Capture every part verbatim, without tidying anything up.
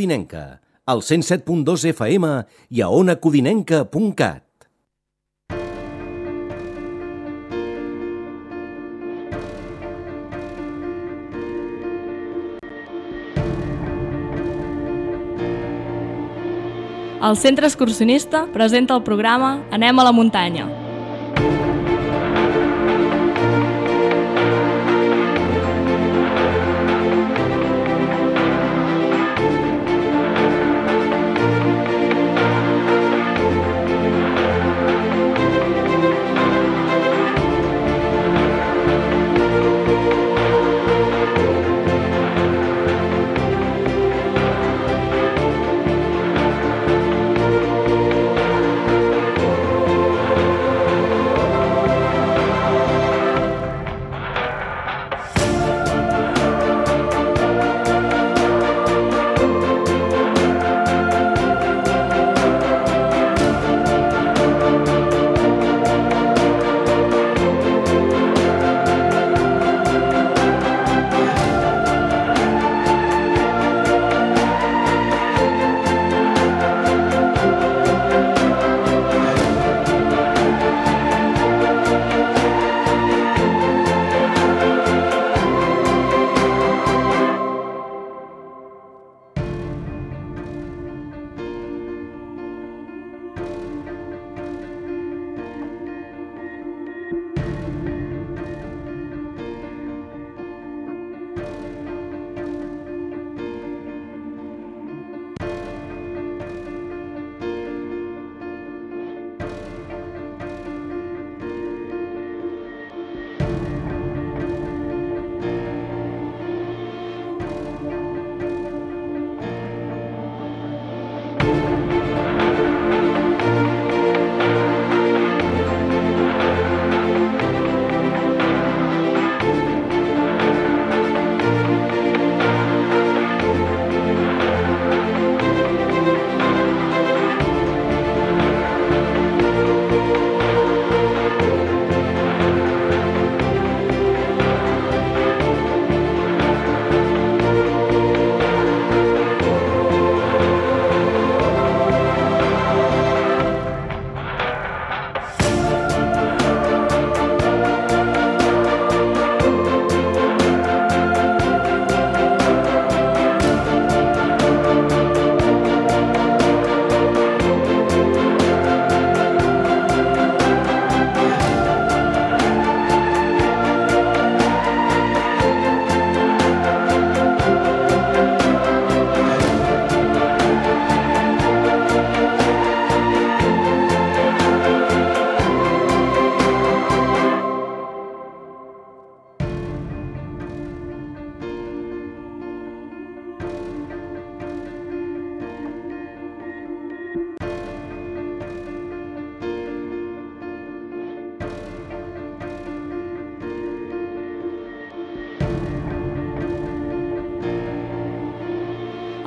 Codinenca, al cent set punt dos F M i a ona codinenca punt cat. El Centre Excursionista presenta el programa Anem a la muntanya.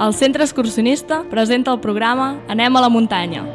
El Centre Excursionista presenta el programa Anem a la muntanya.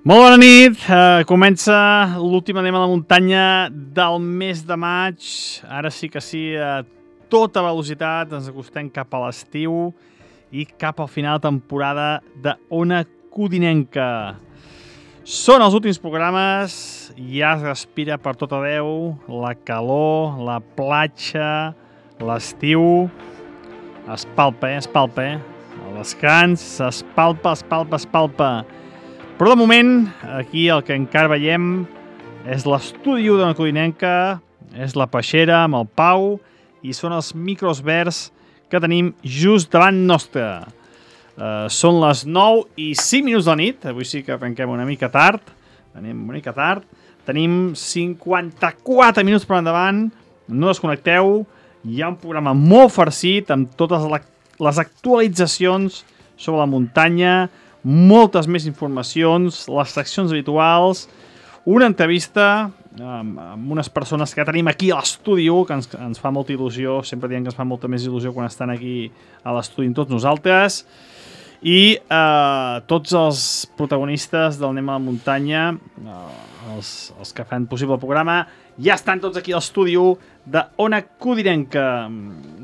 Molt bona nit, uh, comença l'últim Anem a la muntanya del mes de maig. Ara sí que sí, uh, tota velocitat, ens acostem cap a l'estiu i cap al final de temporada de Ona Codinenca. Són els últims programes, ja es respira per tot arreu, la calor, la platja, l'estiu, es palpa, eh? es palpa, eh? El descans, es palpa, es palpa, es palpa. Però de moment, aquí el que encara veiem és l'estudi d'Ona Codinenca, és la peixera amb el Pau i són els micros verds que tenim just davant nostre. Uh, són les nou i cinc minuts de la nit, avui sí que arrenquem una mica tard, tenim una mica tard, tenim cinquanta-quatre minuts per endavant, no desconnecteu, hi ha un programa molt farcit amb totes les actualitzacions sobre la muntanya, moltes més informacions, les seccions habituals, una entrevista amb, amb unes persones que tenim aquí a l'estudi, que ens, ens fa molta il·lusió, sempre diem que ens fa molta més il·lusió quan estan aquí a l'estudi amb tots nosaltres, i eh, tots els protagonistes del Anem a la Muntanya, eh, els, els que fan possible el programa, ja estan tots aquí a l'estudi d'Ona Codinenca.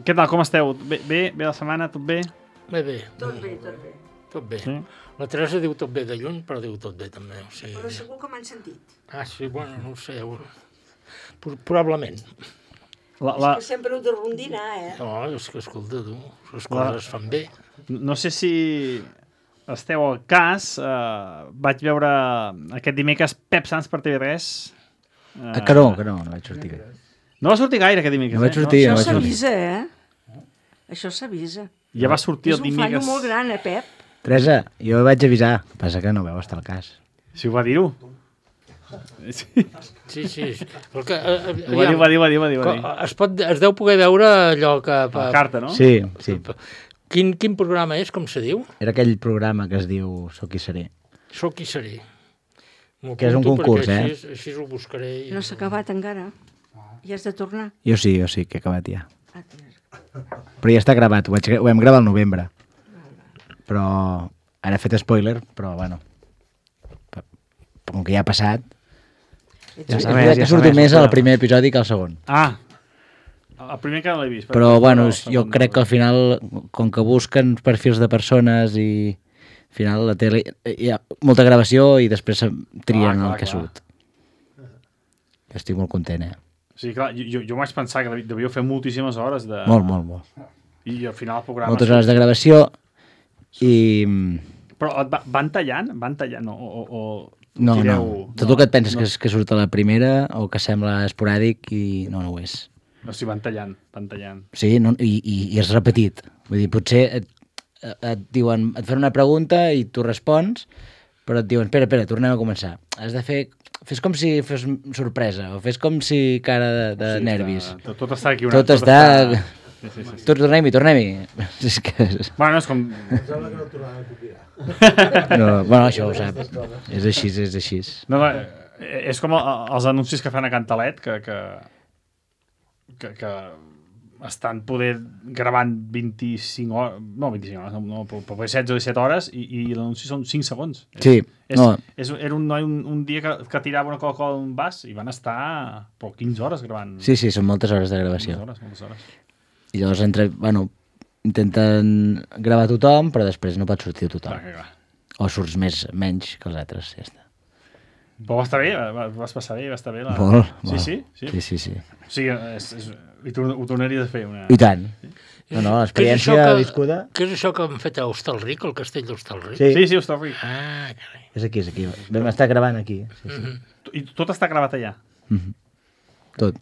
Què tal, com esteu? Bé, bé, bé la setmana, tot bé? Bé, bé. Tot bé, tot bé. Tot bé. Sí? La Teresa diu tot bé de lluny, però diu tot bé també. O sigui... Però segur que m'han sentit. Ah, sí, bueno, no ho sé. Pro probablement. La, la... És que sempre ho de rondinar, eh? No, és que escolta, tu, les coses es fan bé. No sé si esteu al cas, eh, vaig veure aquest dimecres Pep Sans per T V tres. Eh... Ah, que no, que no, no vaig sortir. No va sortir gaire aquest dimecres, no vaig sortir, eh? No? Això s'avisa, eh? Això s'avisa. Ja va sortir el dimecres. És un fallo molt gran, eh, Pep? Teresa, jo vaig avisar, passa que no veu estar al cas. Si ho va dir-ho. Sí, sí. sí. El que, eh, ho va dir, va dir, va dir, va dir. Es, pot, es deu poder veure allò que... La carta, no? Sí, sí. Quin, quin programa és, com se diu? Era aquell programa que es diu Soc qui seré. Soc qui seré. Que és un concurs, eh? Així, així ho buscaré. I... No s'ha acabat encara. Ja has de tornar. Jo sí, jo sí, que he acabat ja. Però ja està gravat, ho, vaig, ho vam gravar al novembre. Però ara he fet spoiler, però bueno, com que ja ha passat, ja sabeu, ja, ja surto més al primer episodi que al segon. Ah, el primer que no l'he vist. Però, però bueno, jo crec que al final, com que busquen perfils de persones i al final la tele, hi ha molta gravació i després trien ah, clar, el que surt. Estic molt content, eh? Sí, clar, jo, jo vaig pensar que devíeu fer moltíssimes hores de... Molt, molt, molt. I al final el programa... Moltes hores de gravació i... Però et va, van tallant? Van tallant? O, o, o no, tireu... no. Tot no, el que et penses no. que, és, que surt a la primera o que sembla esporàdic i no, no ho és. No, sí, van tallant, van tallant. Sí, no, i, i, i és repetit. Vull dir, potser et, et diuen, et fan una pregunta i tu respons, però et diuen, espera, espera, tornem a començar. Has de fer... Fes com si fes sorpresa, o fes com si cara de, de sí, nervis. Tot, tot està aquí. Una, tot, tot està... està... Sí, sí, sí, sí. Tornem-hi, tornem-hi. És que... Bueno, és com... no, bueno, això ho sap. És així, és així. No, no, és com els anuncis que fan a Cantalet, que, que, que, que estan poder gravant vint-i-cinc hores, no vint-i-cinc hores, no, però setze o disset hores i, i l'anunci són cinc segons. Sí, és, no. És, era un noi un, un dia que, que tirava una Coca-Cola d'un vas i van estar però quinze hores gravant. Sí, sí, són moltes hores de gravació. Moltes hores, moltes hores. I llavors entre, bueno, intenten gravar tothom, però després no pot sortir tothom. Clar, clar. O surts més, menys que els altres, ja està. Però va estar bé, va, vas passar bé, va estar bé. La... Molt, sí, molt. Sí, sí, sí, sí, sí. O sigui, és, és, i tu ho tornaries a fer una... I tant. Sí? No, no, l'experiència que, viscuda... Què és això que han fet a Hostalric, el castell d'Hostalric? Sí, sí, sí Hostalric. Ah, carai. És aquí, és aquí. Vam estar gravant aquí. Sí, sí. Mm-hmm. I tot està gravat allà? Mm-hmm. Tot.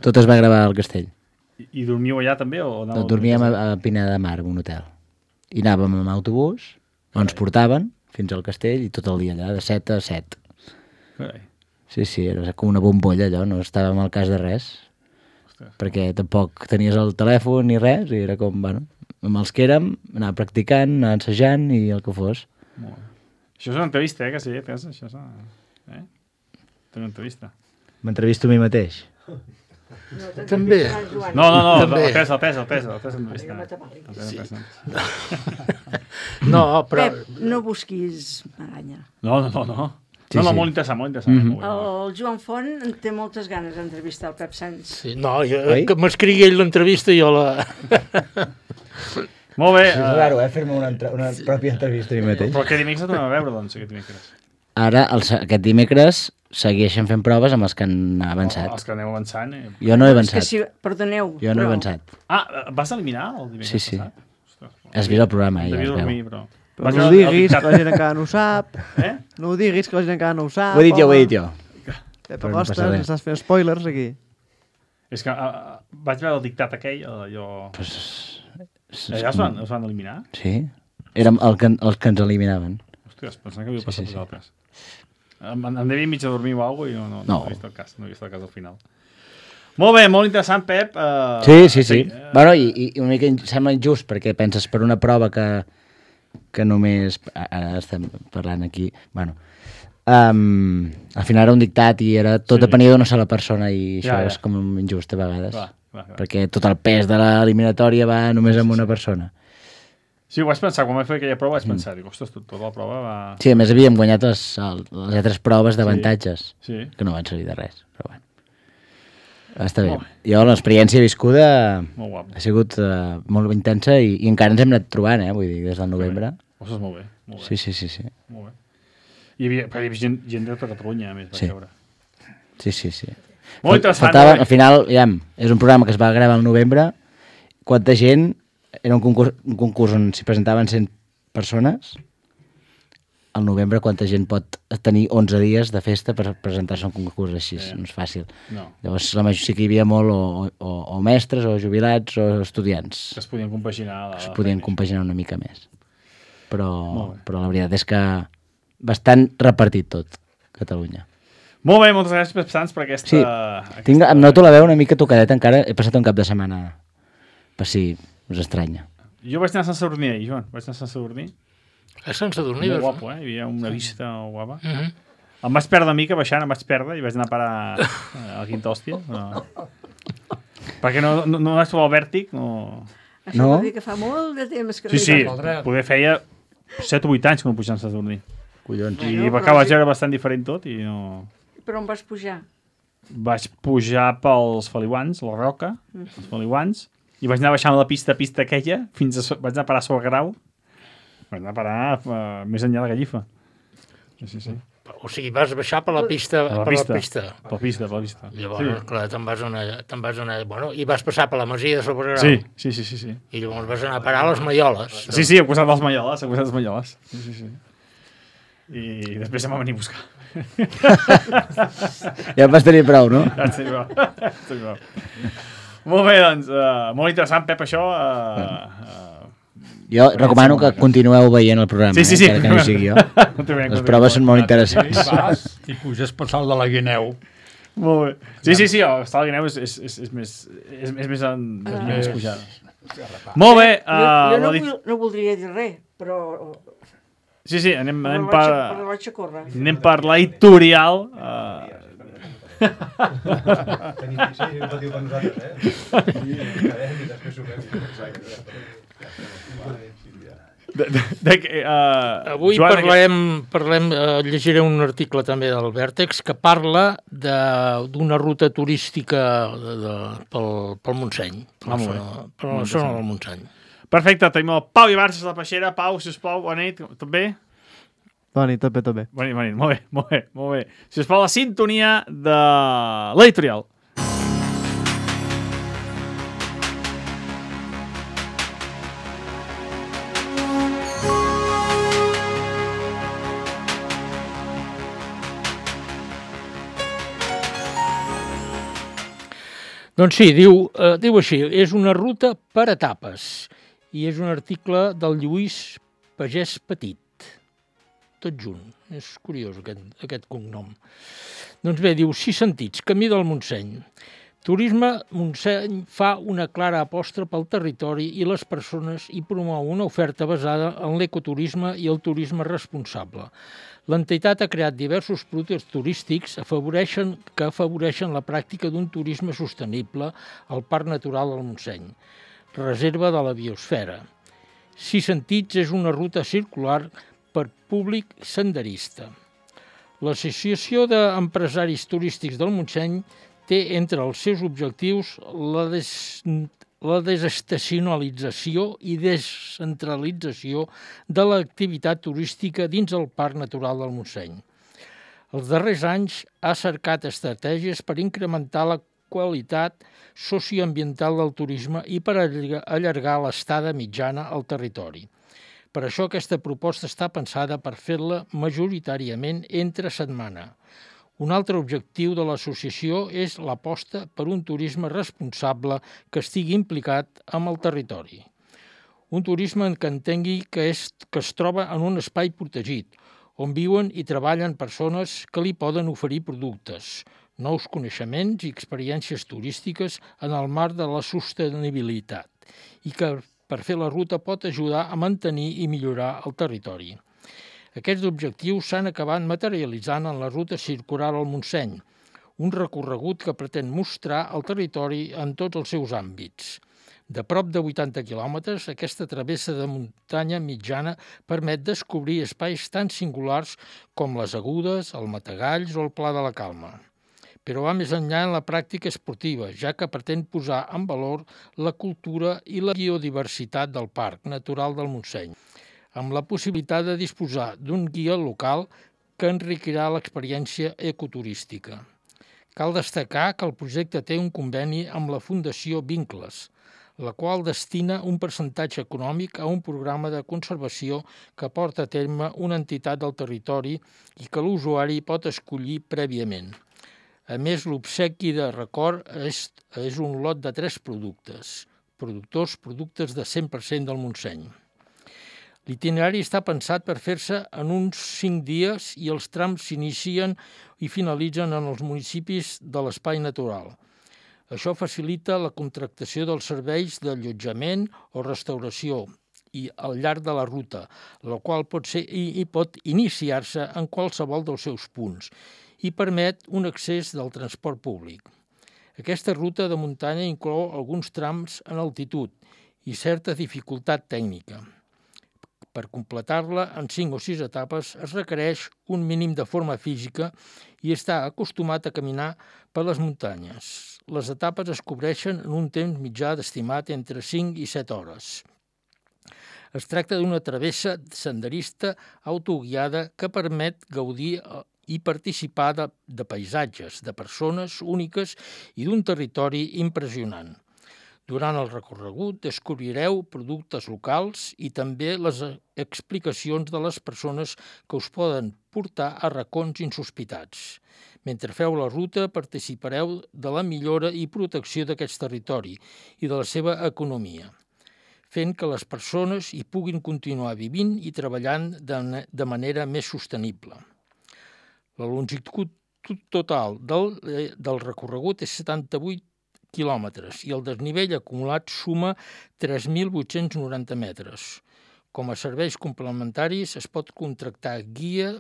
Tot es va gravar al castell. I, i dormiu allà també? O no, dormíem a, a Pineda de Mar, en un hotel. I anàvem amb autobús, on ens portaven fins al castell i tot el dia allà, de set a set. Carai. Sí, sí, era com una bombolla allò, no estàvem al cas de res. Ostres. Perquè tampoc tenies el telèfon ni res, i era com, bueno, amb els que érem, anar practicant, anar ensajant i el que fos. Molt bé. Això és una entrevista, eh, que sí, tens, això és una... Eh? Té una entrevista. M'entrevisto a mi mateix. No, també. No, no, no, també. el pes, el pes, el pes, el pes entrevista. Sí. No, però... Pep, no busquis maganya. No, no, no, no. Sí, no, no, sí. molt interessant, molt interessant. Mm -hmm. El Joan Font en té moltes ganes d'entrevistar el Pep Sans. Sí, no, jo, que m'escrigui ell l'entrevista i jo la... Molt bé. És uh... raro, eh, fer-me una, una pròpia entrevista a mi mateix. Però aquest dimecres no tornem a veure, doncs, aquest dimecres. Ara, el, aquest dimecres, segueixen fent proves amb els que han avançat. Oh, els que aneu avançant. Eh? Jo no he avançat. Si, perdoneu. Jo no he avançat. Ah, vas eliminar el dimecres sí, sí. passat? Has vist el programa, eh? Ja Devia dormir, però... Però no ho diguis, que la gent encara no ho sap. Eh? No ho diguis, que la gent encara no ho sap. Ho he dit jo, ho he dit jo. Pep Agostes, no estàs fent spoilers aquí. És que uh, vaig veure el dictat aquell, allò... Pues... Allà es van, es van eliminar? Sí. Érem el que, els que ens eliminaven. Hòsties, pensant que havia passat sí, sí, sí, altres. Em, em devia mig a dormir o alguna cosa i no, no, no. no he vist el cas, no he vist el cas al final. Molt bé, molt interessant, Pep. Uh, sí, sí, sí. sí. Uh... Bueno, i, i una mica sembla injust, perquè penses per una prova que, que només... Ara estem parlant aquí... Bueno, um, al final era un dictat i era tot sí. depenia d'una sola persona i això ja, ja. és com injust a vegades. Clar, clar, clar. Perquè tot el pes de l'eliminatòria va només amb una persona. Sí, ho vaig pensar, quan vaig fer aquella prova vaig pensar, mm. dic, ostres, tota la prova va... Sí, a més havíem guanyat les, les altres proves d'avantatges, sí. sí. que no van servir de res, però bueno. Està bé. Jo l'experiència viscuda ha sigut uh, molt intensa i, i encara ens hem anat trobant, eh, vull dir, des del novembre. Ostres, molt bé, molt bé. Sí, sí, sí. sí. Molt bé. Hi havia, hi havia gent, gent de tota Catalunya, a més, vaig sí. veure. Sí, sí, sí. Molt interessant. Faltava, al final, ja, és un programa que es va gravar al novembre. Quanta gent... Era un concurs, un concurs on s'hi presentaven cent persones. Al novembre, quanta gent pot tenir onze dies de festa per presentar-se a un concurs així? Sí. No és fàcil. No. Llavors, la majoria sí que hi havia molt o, o, o mestres, o jubilats, o estudiants. Que es podien compaginar. La, es podien compaginar una mica més. Però, però la veritat és que bastant repartit tot, Catalunya. Molt bé, moltes gràcies, Pep Sans, per aquesta... Sí, aquesta... Tinc, em noto la veu una mica tocadeta encara. He passat un cap de setmana per si us estranya. Jo vaig anar a Sant Sadurní ahir, Joan. Vaig anar a Sant Sadurní. A Sant Sadurní? Molt guapo, eh? Hi havia una vista guapa. Uh -huh. Em vaig perdre una mica baixant, em vaig perdre i vaig anar a parar a la Quinta Hòstia. No. Perquè no, no, no vaig trobar el vèrtic. No... Això no? Vol dir que fa molt de temps que... Sí, sí, poder feia set o vuit anys que no pujava a Sant Sadurní. Collons. I bueno, va acabar sí. bastant diferent tot i no... Per on vas pujar? Vaig pujar pels Feliuans, la Roca, mm. els Feliuans, i vaig anar baixant la pista, pista aquella, fins a... vaig anar a parar a Solgrau, vaig anar a parar uh, més enllà de Gallifa. Sí, sí, sí. O sigui, vas baixar per la pista. Per la per pista. La pista. Per la pista, per la pista. Llavors, sí. clar, te'n vas anar... Te'n vas anar... Bueno, i vas passar per la Masia de Solgrau. Sí, sí, sí, sí, sí. I llavors vas anar a parar a les Malloles. Sí, sí, al costat dels Malloles, al costat dels Malloles. Sí, sí, sí. I després em va venir a buscar. Ja em vas tenir prou, no? Ja en prou. prou. Molt bé, doncs, uh, molt interessant, Pep, això. Uh, uh, jo recomano que continueu veient el programa, sí, sí, sí. eh, que no sigui jo. Les proves són molt interessants. I vas i puges per salt de la Guineu. Molt bé. Sí, sí, sí, el salt de Guineu és, és, és, és més, és, és més, en, és uh, més pujada. Molt bé. Uh, jo jo no, dit... no voldria dir res, però... Sí, sí, anem, anem per... per... Anem per l'editorial. Uh... Tenim sí, un patiu per nosaltres, eh? I quedem i després suquem. De, de, de, uh, Avui Joan, parlem, que... parlem uh, llegiré un article també del Vèrtex que parla d'una ruta turística de, de, pel, pel Montseny, per ah, la zona, per la zona del Montseny. Perfecte, tenim el Pau Ibarces de la Peixera. Pau, sisplau, bona nit, tot bé? Bona nit, tot bé, tot bé. Bona nit, bona nit, molt bé, molt bé, molt bé. Sisplau, la sintonia de l'editorial. Doncs sí, diu, eh, diu així, és una ruta per etapes i és un article del Lluís Pagès Petit, tot junt, és curiós aquest, aquest cognom. Doncs bé, diu, sis sentits, camí del Montseny. Turisme Montseny fa una clara aposta pel territori i les persones i promou una oferta basada en l'ecoturisme i el turisme responsable. L'entitat ha creat diversos productes turístics afavoreixen, que afavoreixen la pràctica d'un turisme sostenible al Parc Natural del Montseny, reserva de la biosfera. Sis sentits és una ruta circular per públic senderista. L'Associació d'Empresaris Turístics del Montseny té entre els seus objectius la, des, la desestacionalització i descentralització de l'activitat turística dins el Parc Natural del Montseny. Els darrers anys ha cercat estratègies per incrementar la qualitat socioambiental del turisme i per allargar l'estada mitjana al territori. Per això aquesta proposta està pensada per fer-la majoritàriament entre setmana. Un altre objectiu de l'associació és l'aposta per un turisme responsable que estigui implicat amb el territori. Un turisme que entengui que, és, que es troba en un espai protegit, on viuen i treballen persones que li poden oferir productes, nous coneixements i experiències turístiques en el marc de la sostenibilitat i que per fer la ruta pot ajudar a mantenir i millorar el territori. Aquests objectius s'han acabat materialitzant en la ruta circular al Montseny, un recorregut que pretén mostrar el territori en tots els seus àmbits. De prop de vuitanta quilòmetres, aquesta travessa de muntanya mitjana permet descobrir espais tan singulars com les Agudes, el Matagalls o el Pla de la Calma. Però va més enllà en la pràctica esportiva, ja que pretén posar en valor la cultura i la biodiversitat del Parc Natural del Montseny, amb la possibilitat de disposar d'un guia local que enriquirà l'experiència ecoturística. Cal destacar que el projecte té un conveni amb la Fundació Vincles, la qual destina un percentatge econòmic a un programa de conservació que porta a terme una entitat del territori i que l'usuari pot escollir prèviament. A més, l'obsequi de record és, és un lot de tres productes, productors productes de cent per cent del Montseny. L'itinerari està pensat per fer-se en uns cinc dies i els trams s'inicien i finalitzen en els municipis de l'espai natural. Això facilita la contractació dels serveis d'allotjament o restauració i al llarg de la ruta, la qual pot ser i, i pot iniciar-se en qualsevol dels seus punts i permet un accés del transport públic. Aquesta ruta de muntanya inclou alguns trams en altitud i certa dificultat tècnica. Per completar-la en cinc o sis etapes es requereix un mínim de forma física i està acostumat a caminar per les muntanyes. Les etapes es cobreixen en un temps mitjà d'estimat entre cinc i set hores. Es tracta d'una travessa senderista autoguiada que permet gaudir i participar de, de paisatges, de persones úniques i d'un territori impressionant. Durant el recorregut descobrireu productes locals i també les explicacions de les persones que us poden portar a racons insospitats. Mentre feu la ruta participareu de la millora i protecció d'aquest territori i de la seva economia, fent que les persones hi puguin continuar vivint i treballant de, de manera més sostenible. La longitud total del, del recorregut és setanta-vuit quilòmetres i el desnivell acumulat suma tres mil vuit-cents noranta metres. Com a serveis complementaris es pot contractar guia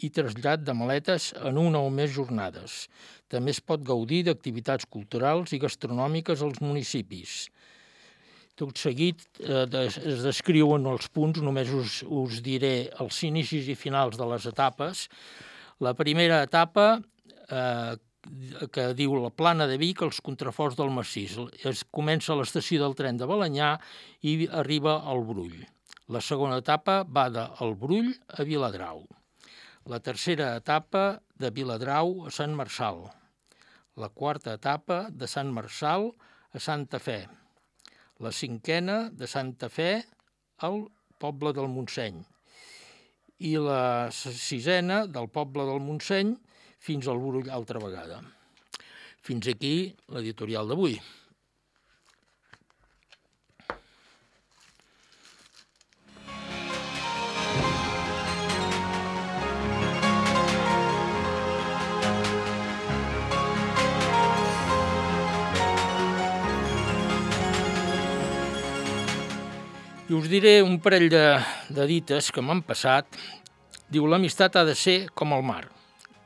i trasllat de maletes en una o més jornades. També es pot gaudir d'activitats culturals i gastronòmiques als municipis. Tot seguit eh, es descriuen els punts, només us, us diré els inicis i finals de les etapes. La primera etapa, eh, que diu la Plana de Vic, els contraforts del Massís. Es comença a l'estació del tren de Balenyà i arriba al Brull. La segona etapa va del Brull a Viladrau. La tercera etapa de Viladrau a Sant Marçal. La quarta etapa de Sant Marçal a Santa Fe. La cinquena de Santa Fe al poble del Montseny. I la sisena del poble del Montseny fins al Brull altra vegada. Fins aquí l'editorial d'avui. I us diré un parell de, de dites que m'han passat. Diu, l'amistat ha de ser com el mar.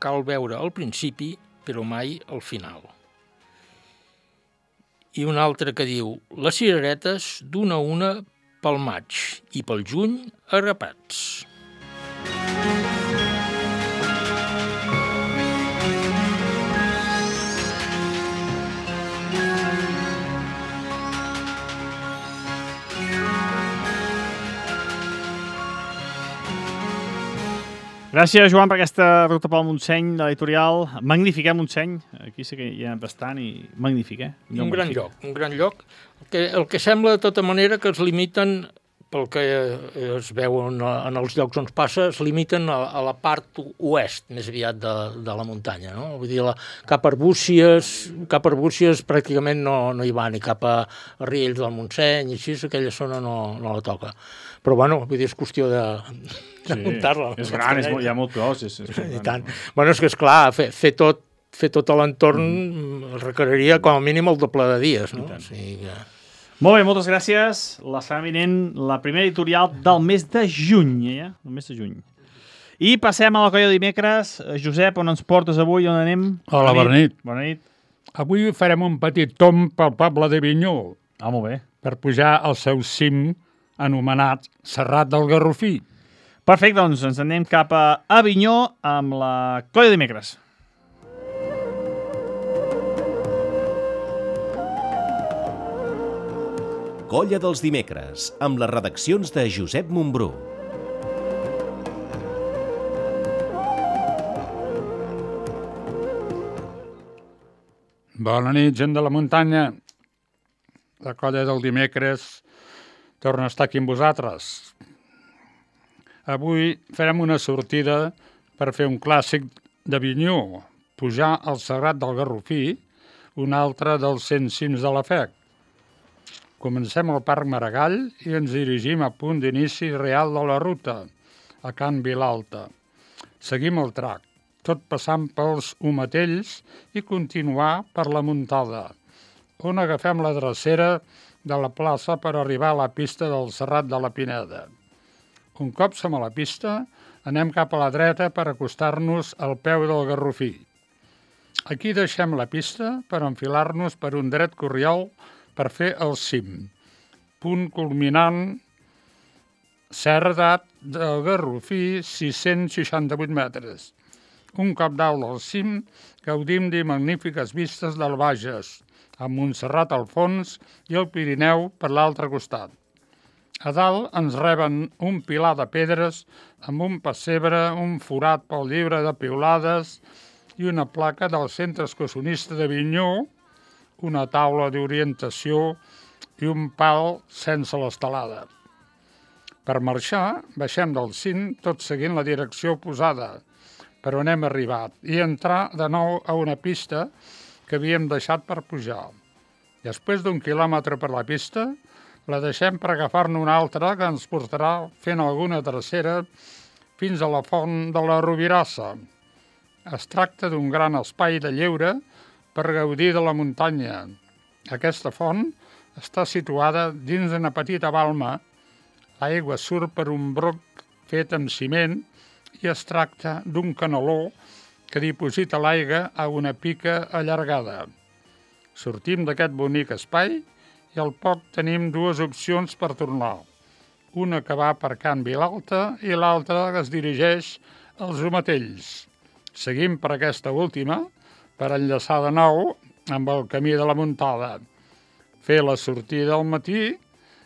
Cal veure al principi, però mai al final. I una altra que diu, les cireretes d'una a una pel maig i pel juny arrapats. Gràcies, Joan, per aquesta ruta pel Montseny de l'editorial. Magnífic, eh, Montseny? Aquí sí que hi ha bastant i magnífic, eh? Un gran lloc, un gran lloc. El que, el que sembla, de tota manera, que es limiten, pel que es veu en, en els llocs on es passa, es limiten a, a la part oest, més aviat, de, de la muntanya, no? Vull dir, la, cap a Arbúcies, cap a Arbúcies pràcticament no, no hi va, ni cap a Riells del Montseny, i així, aquella zona no, no la toca. Però, bueno, vull dir, és qüestió de, de sí, muntar-la. És gran, és molt, hi ha molt cos. És, és I tant. Bueno, és que, esclar, fer, fer tot, fer tot l'entorn mm. requeriria com a mínim el doble de dies, no? O sigui que... Molt bé, moltes gràcies. La setmana vinent, la primera editorial del mes de juny, ja? El mes de juny. I passem a la colla de dimecres. Josep, on ens portes avui? On anem? Hola, bona nit. Bona nit. Avui farem un petit tomb pel poble de Vinyó. Ah, molt bé. Per pujar al seu cim anomenat Serrat del Garrofí. Perfecte, doncs ens anem cap a Avinyó amb la colla de dimecres. Colla dels dimecres, amb les redaccions de Josep Montbrú. Bona nit, gent de la muntanya. La colla del dimecres torna a estar aquí amb vosaltres. Avui farem una sortida per fer un clàssic de Vinyó, pujar al Serrat del Garrofí, un altre dels cent cims de la F E C. Comencem al Parc Maragall i ens dirigim a punt d'inici real de la ruta, a Can Vilalta. Seguim el trac, tot passant pels Omatells i continuar per la Muntada, on agafem la drecera de la plaça per arribar a la pista del Serrat de la Pineda. Un cop som a la pista, anem cap a la dreta per acostar-nos al peu del Garrofí. Aquí deixem la pista per enfilar-nos per un dret corriol per fer el cim. Punt culminant, Serrat del Garrofí, sis-cents seixanta-vuit metres. Un cop dalt del cim, gaudim de magnífiques vistes del Bages, amb Montserrat al fons i el Pirineu per l'altre costat. A dalt ens reben un pilar de pedres amb un pessebre, un forat pel llibre de piulades i una placa del Centre Excursionista de Vinyó, una taula d'orientació i un pal sense l'estelada. Per marxar, baixem del cim tot seguint la direcció oposada, per on hem arribat, i entrar de nou a una pista que havíem deixat per pujar. Després d'un quilòmetre per la pista, la deixem per agafar-ne una altra que ens portarà fent alguna tercera fins a la font de la Robirassa. Es tracta d'un gran espai de lleure per gaudir de la muntanya. Aquesta font està situada dins d'una petita balma. L'aigua surt per un broc fet amb ciment i es tracta d'un canaló que diposita l'aigua a una pica allargada. Sortim d'aquest bonic espai i al poc tenim dues opcions per tornar. Una que va per Can Vilalta i l'altra que es dirigeix als Omatells. Seguim per aquesta última per enllaçar de nou amb el camí de la Muntada, fer la sortida al matí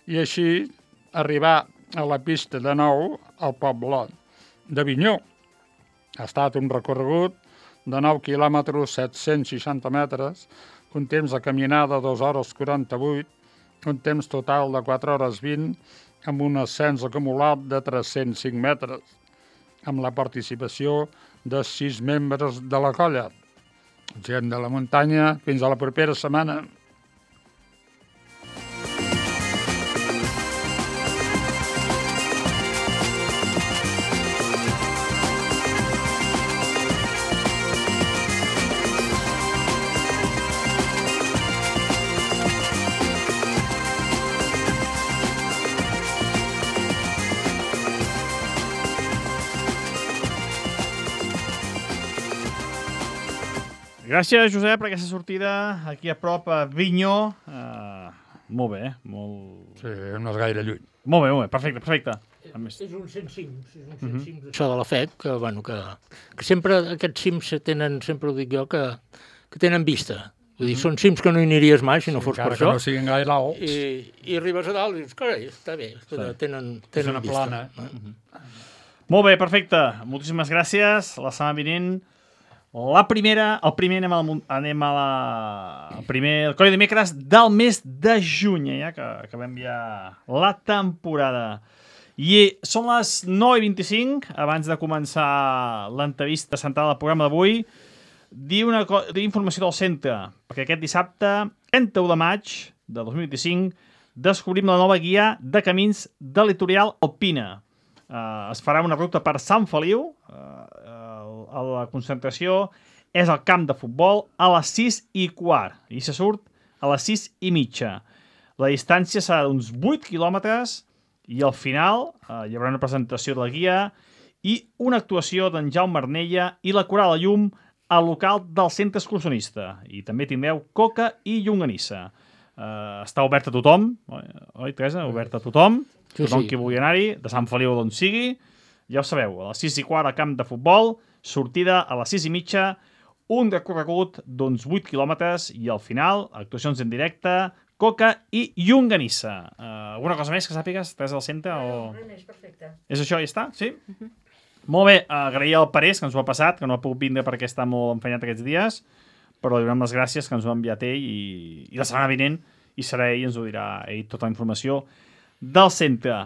i així arribar a la pista de nou al poble de Vinyó. Ha estat un recorregut de nou quilòmetres, set-cents seixanta metres, un temps de caminada de dos hores quaranta-vuit, un temps total de quatre hores vint, amb un ascens acumulat de tres-cents cinc metres, amb la participació de sis membres de la colla. Gent de la muntanya, fins a la propera setmana. Gràcies, Josep, per aquesta sortida aquí a prop, a Vinyó. Uh, molt bé, molt... Sí, no és gaire lluny. Molt bé, molt bé, perfecte, perfecte. És, és un cent cims, és un cent cims. Això de la F E C, que, bueno, que, que sempre aquests cims tenen, sempre ho dic jo, que, que tenen vista. Vull dir, són cims que no hi aniries mai si no sí, fos per això. Que no siguin gaire alts. I, i arribes a dalt i dius, carai, està bé, sí. tenen, tenen és una vista. plana. No? Uh -huh. Molt bé, perfecte. Moltíssimes gràcies. La setmana vinent, la primera, el primer anem a la, anem a la el primer, el Coi de Dimecres del mes de juny, ja que acabem ja la temporada. I són les nou i vint-i-cinc, abans de començar l'entrevista central del programa d'avui, dir una dir informació del centre, perquè aquest dissabte, trenta-u de maig de dos mil vint-i-cinc, descobrim la nova guia de camins de Litoral Alpina. Uh, es farà una ruta per Sant Feliu, uh, uh, la concentració és al camp de futbol a les sis i quart, i se surt a les sis i mitja. La distància serà d'uns vuit quilòmetres i al final uh, hi haurà una presentació de la guia i una actuació d'en Jaume Arnella i la Coral a Llum al local del centre excursionista. I també tindreu coca i llonganissa. Uh, està obert a tothom, oi, oi Teresa? Obert a tothom, sí, tothom sí. Qui vulgui anar-hi, de Sant Feliu d'on sigui, ja ho sabeu, a les sis i quart al camp de futbol, sortida a les sis i mitja, un recorregut d'uns vuit quilòmetres i al final, actuacions en directe, coca i llonganissa. Uh, alguna cosa més que sàpigues, Teresa del centre? O... No, no, és perfecte. És això, ja està? Sí? Uh-huh. Molt bé, agrair al Parés, que ens ho ha passat, que no ha pogut vindre perquè està molt enfanyat aquests dies, però li donem les gràcies que ens ho ha enviat ell i, i la setmana vinent i serà ell, ens ho dirà ell, tota la informació del centre.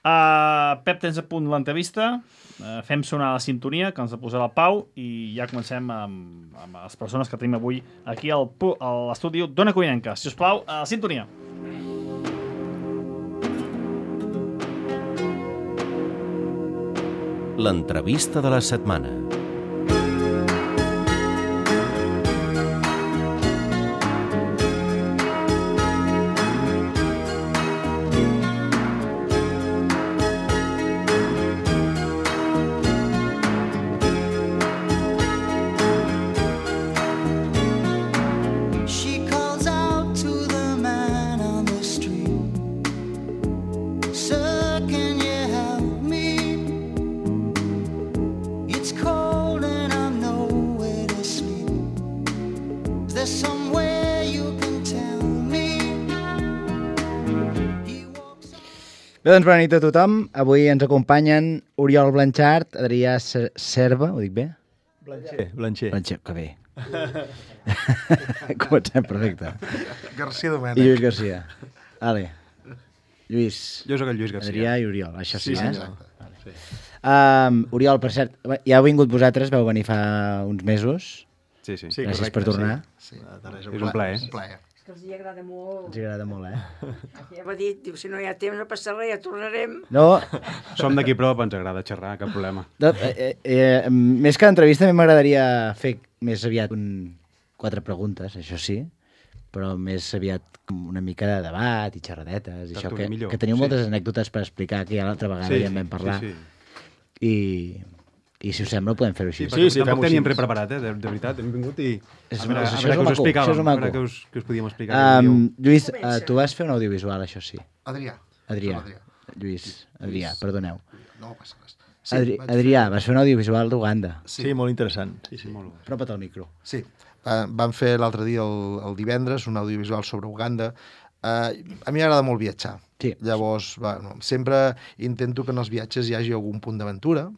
Uh, Pep, tens a punt l'entrevista, uh, fem sonar la sintonia que ens ha posat el Pau i ja comencem amb, amb les persones que tenim avui aquí al, a l'estudi d'Ona Codinenca. Si us plau, a la sintonia. L'entrevista de la setmana. Bé, doncs bona nit a tothom. Avui ens acompanyen Oriol Blanchard, Adrià Serva, ho dic bé? Blancher, Blancher. Blancher, que bé. Comencem, perfecte. García Domènech. I Lluís García. Vale. Lluís. Jo soc el Lluís García. Adrià i Oriol, això sí, sí eh? Exacte. Vale. Sí. Um, Oriol, per cert, ja heu vingut vosaltres, vau venir fa uns mesos. Sí, sí. sí Gràcies correcte, per tornar. Sí. Sí. És un plaer. Un plaer. És que els hi agrada molt. Els agrada molt, eh? Ja m'ha dit, diu, si no hi ha temps no passa res, ja tornarem. No. Som d'aquí prop, ens agrada xerrar, cap problema. No, eh, eh, més que l'entrevista, a mi m'agradaria fer més aviat un... quatre preguntes, això sí, però més aviat una mica de debat i xerradetes, i això que, que teniu sí. moltes anècdotes per explicar, que ja l'altra vegada sí, ja en vam parlar. Sí, sí. I... I si us sembla, podem fer-ho així. Sí, sí, tampoc teníem preparat, eh? De, de veritat, hem vingut i... És, a veure, és, a veure què us explicàvem, a veure què us, què us podíem explicar. Um, Lluís, uh, tu vas fer un audiovisual, això sí. Adrià. Adrià. Adrià. Lluís, Adrià, perdoneu. No passa res. Sí, Adri Adrià, vas fer un audiovisual d'Uganda. Sí. sí, molt interessant. Sí, sí. Molt... Apropa't al micro. Sí, uh, vam fer l'altre dia, el, el divendres, un audiovisual sobre Uganda. Uh, a mi m'agrada molt viatjar. Sí. Llavors, bueno, sempre intento que en els viatges hi hagi algun punt d'aventura.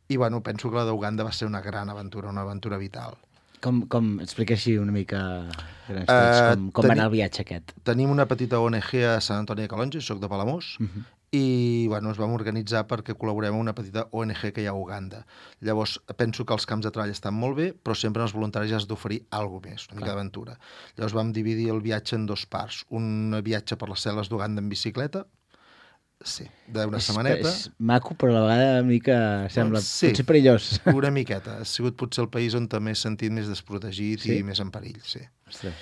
I, bueno, penso que la d'Uganda va ser una gran aventura, una aventura vital. Com, com explica així una mica grans trets, uh, com, com va anar el viatge aquest? Tenim una petita O N G a Sant Antoni de Calonge, soc de Palamós, uh -huh. i, bueno, ens vam organitzar perquè col·laborem amb una petita O N G que hi ha a Uganda. Llavors, penso que els camps de treball estan molt bé, però sempre els voluntaris has d'oferir alguna més, una mica d'aventura. Llavors vam dividir el viatge en dos parts. Un viatge per les cel·les d'Uganda en bicicleta, sí, d'una setmaneta. És maco, però a la vegada una mica sembla sí, potser perillós. Una miqueta. Ha sigut potser el país on t'he sentit més desprotegit sí? i més en perill, sí. Ostres.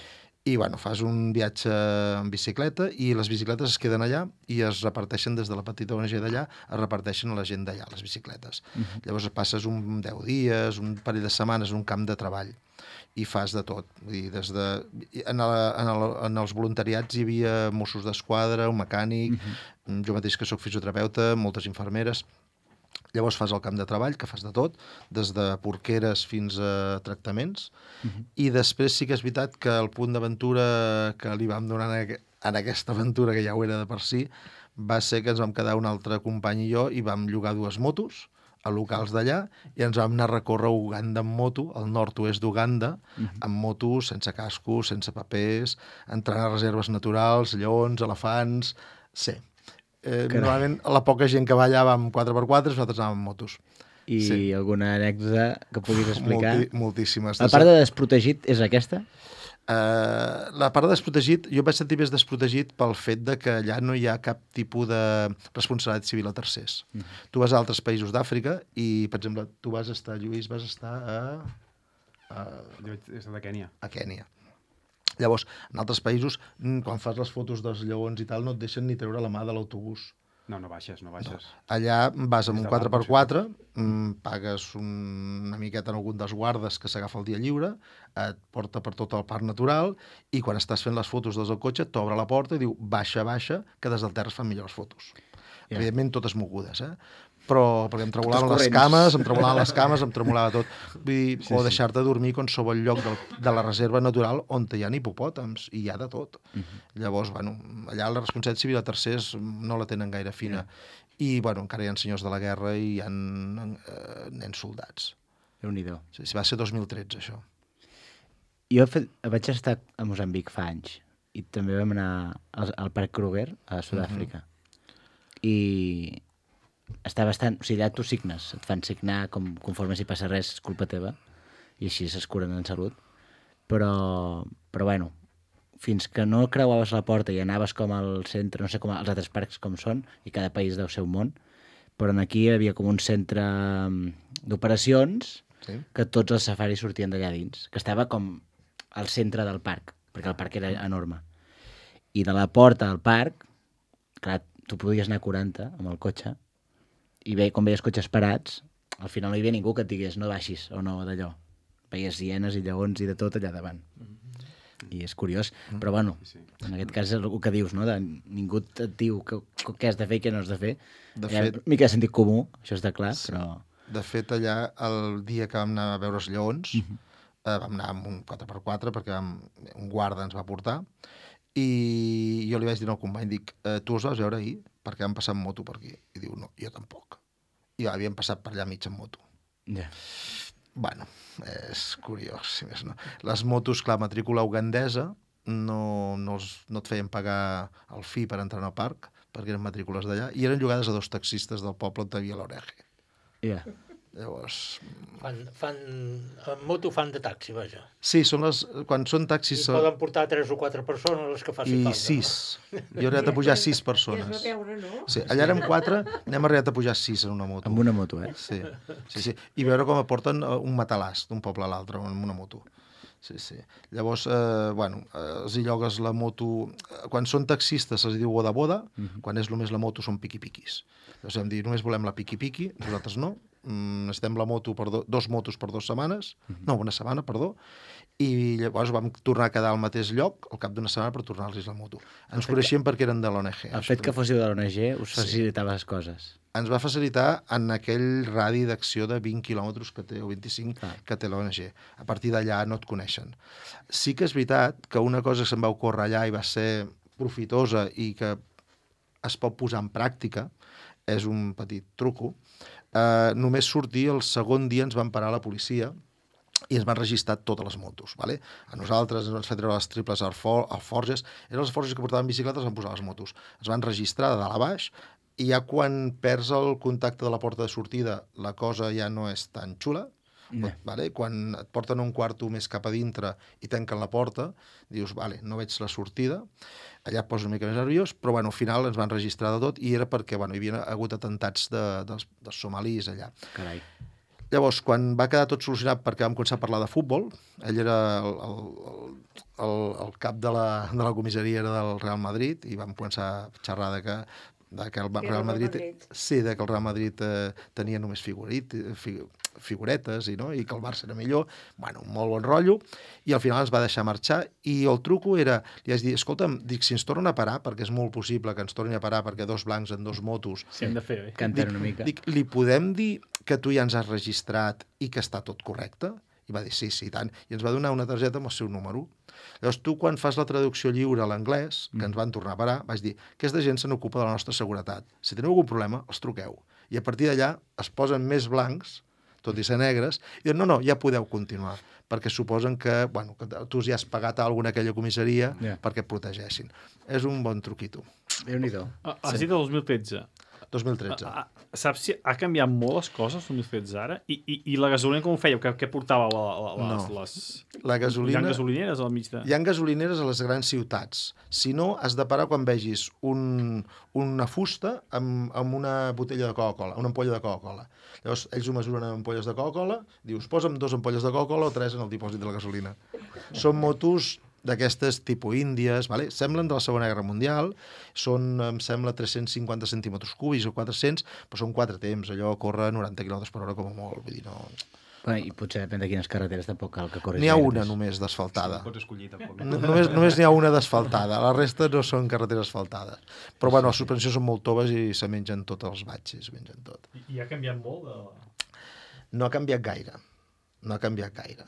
I, bueno, fas un viatge en bicicleta i les bicicletes es queden allà i es reparteixen des de la petita O N G d'allà, es reparteixen a la gent d'allà, les bicicletes. Uh-huh. Llavors passes un deu dies, un parell de setmanes, un camp de treball i fas de tot. Vull dir, des de... en, el, en, el, en els voluntariats hi havia Mossos d'Esquadra, un mecànic, uh-huh. jo mateix que sóc fisioterapeuta, moltes infermeres. Llavors fas el camp de treball, que fas de tot, des de porqueres fins a tractaments, uh-huh. i després sí que és veritat que el punt d'aventura que li vam donar en aquesta aventura, que ja ho era de per si, va ser que ens vam quedar un altre company i jo i vam llogar dues motos, a locals d'allà, i ens vam anar a recórrer Uganda amb moto, al nord-oest d'Uganda, Mhm. amb motos, sense cascos, sense papers, entrant a reserves naturals, lleons, elefants... Sí. Eh, Carai. normalment, la poca gent que va allà va amb quatre per quatre, nosaltres anàvem amb motos. I Sí. alguna anècdota que puguis explicar? Molti, moltíssimes. La part de desprotegit és aquesta? Uh, la part de desprotegit, jo em vaig sentir més desprotegit pel fet de que allà no hi ha cap tipus de responsabilitat civil a tercers. Mm -hmm. Tu vas a altres països d'Àfrica i, per exemple, tu vas estar, Lluís, vas estar a... a... Jo vaig estar a Kènia. A Kènia. Llavors, en altres països, quan fas les fotos dels lleons i tal, no et deixen ni treure la mà de l'autobús. No, no baixes, no baixes. No. Allà vas amb Des un de quatre per dalt, quatre, mm, pagues un, una miqueta en algun dels guardes que s'agafa el dia lliure, et porta per tot el parc natural i quan estàs fent les fotos des del cotxe t'obre la porta i diu baixa, baixa, que des del terra es fan millors fotos. Yeah. Evidentment totes mogudes, eh? Però perquè em tremolaven les cames, em tremolaven les cames, em tremolava tot. Vull dir, sí, o deixar-te dormir a qualsevol lloc del, de la reserva natural on hi ha hipopòtams, i hi ha de tot. Uh-huh. Llavors, bueno, allà la responsabilitat civil a tercers no la tenen gaire fina. Yeah. I, bueno, encara hi ha senyors de la guerra i hi ha eh, nens soldats. Déu-n'hi-do. Sí, va ser dos mil tretze, això. Jo fet, vaig estar a Moçambic fa anys i també vam anar al, al Parc Kruger, a Sud-àfrica. Uh-huh. I està bastant... O sigui, allà tu signes, et fan signar com, conforme si passa res és culpa teva i així s'escuren en salut. Però, però bueno, fins que no creuaves la porta i anaves com al centre, no sé com els altres parcs com són, i cada país deu ser un món, però aquí hi havia com un centre d'operacions sí. que tots els safaris sortien d'allà dins, que estava com al centre del parc, perquè el parc era enorme. I de la porta al parc, clar, tu podies anar a quaranta amb el cotxe, i ve, com veies cotxes parats, al final no hi havia ningú que et digués no baixis o no d'allò. Veies hienes i lleons i de tot allà davant. I és curiós, però bueno, en aquest cas és el que dius, no? De, ningú et diu que, què has de fer i què no has de fer. De Hi ha fet, una mica de sentit comú, això està clar, sí. però... De fet, allà, el dia que vam anar a veure els lleons, Mhm. eh, vam anar amb un quatre per quatre perquè vam, un guarda ens va portar, i jo li vaig dir al company, dic, eh, tu els vas veure ahir? Perquè vam passar amb moto per aquí. I diu, no, jo tampoc. I havíem passat per allà mig amb moto. Ja. Yeah. Bueno, és curiós, si més no. Les motos, clar, matrícula ugandesa, no, no, els, no et feien pagar el fi per entrar al parc, perquè eren matrícules d'allà, i eren llogades a dos taxistes del poble on hi havia l'Oreje. Ja. Yeah. Llavors... Fan, fan, en moto fan de taxi, vaja. Sí, són les, quan són taxis... I poden portar tres o quatre persones, les que faci I falta. I sis. Jo he arribat a pujar sis persones. I es va veure, no? Sí, allà érem quatre, n'hem arribat a pujar sis en una moto. Amb una moto, eh? Sí, sí, sí. I veure com aporten un matalàs d'un poble a l'altre amb una moto. Sí, sí. Llavors, eh, bueno, eh, els hi llogues la moto... Quan són taxistes se'ls diu boda-boda, uh-huh. Quan és només la moto són piqui-piquis. Llavors vam dir, només volem la piqui-piqui, nosaltres no. Mm, necessitem la moto per do, dos motos per dues setmanes, uh-huh. no, una setmana, perdó, i llavors vam tornar a quedar al mateix lloc al cap d'una setmana per tornar-los la moto. Ens coneixíem perquè eren de l'O N G. El fet que fóssiu de l'O N G us facilitava sí. les coses. Ens va facilitar en aquell radi d'acció de vint quilòmetres que té, o vint-i-cinc, ah. que té l'O N G. A partir d'allà no et coneixen. Sí que és veritat que una cosa que se'n va ocórrer allà i va ser profitosa i que es pot posar en pràctica, és un petit truco, eh, només sortir el segon dia ens van parar la policia i ens van registrar totes les motos. Vale? A nosaltres ens van fer treure les triples alfor alforges, eren les alforges que portaven bicicletes, van posar les motos. Ens van registrar de dalt a baix, i ja quan perds el contacte de la porta de sortida, la cosa ja no és tan xula. No. Vale? Quan et porten un quarto més cap a dintre i tanquen la porta, dius, vale, no veig la sortida, allà et poses una mica més nerviós, però bueno, al final ens van registrar de tot i era perquè bueno, hi havia hagut atentats de, dels, dels somalis allà. Carai. Llavors, quan va quedar tot solucionat perquè vam començar a parlar de futbol, ell era el, el, el, el cap de la, de la comissaria era del Real Madrid i vam començar a xerrar de que de que el Real Madrid, Madrid. Sí, de que el Real Madrid eh, tenia només figurit, fig, figuretes i, no? I que el Barça era millor. Bueno, un molt bon rotllo. I al final ens va deixar marxar i el truco era, li vaig dir, escolta'm, dic, si ens tornen a parar, perquè és molt possible que ens tornin a parar perquè dos blancs en dos motos... Sí, hem de fer, eh? Canten una mica. Dic, li podem dir que tu ja ens has registrat i que està tot correcte? I va dir, sí, sí, tant. I ens va donar una targeta amb el seu número. Llavors, tu, quan fas la traducció lliure a l'anglès, que ens van tornar a parar, vaig dir, aquesta gent se n'ocupa de la nostra seguretat. Si teniu algun problema, els truqueu. I a partir d'allà es posen més blancs, tot i ser negres, i diuen, no, no, ja podeu continuar, perquè suposen que, bueno, que tu ja has pagat alguna aquella comissaria Yeah. perquè et protegeixin. És un bon truquito. Déu-n'hi-do. Ah, Has dit el dos mil tretze. dos mil tretze. Ah, ah, saps si ha canviat molt les coses, el dos mil tretze ara? I, i, i la gasolina com ho fèieu? Què, què portava la, la, les, No. les... La gasolina... Hi ha gasolineres al mig de... Hi ha gasolineres a les grans ciutats. Si no, has de parar quan vegis un, una fusta amb, amb una botella de Coca-Cola, una ampolla de Coca-Cola. Llavors, ells ho mesuren amb ampolles de Coca-Cola, dius, posa'm dos ampolles de Coca-Cola o tres en el dipòsit de la gasolina. Són motos d'aquestes tipus índies, vale? Semblen de la Segona Guerra Mundial, són, em sembla, tres-cents cinquanta centímetres cúbics o quatre-cents, però són quatre temps, allò corre noranta quilòmetres per hora com a molt, vull dir, no... Bueno, I potser depèn de quines carreteres tampoc cal que corris. N'hi ha gaire, una doncs. només d'asfaltada. Pots escollir, tampoc. No, només només n'hi ha una d'asfaltada, la resta no són carreteres asfaltades. Però, bueno, les suspensions són molt toves i se mengen tots els batxes, mengen tot. I, I ha canviat molt de... No ha canviat gaire, no ha canviat gaire.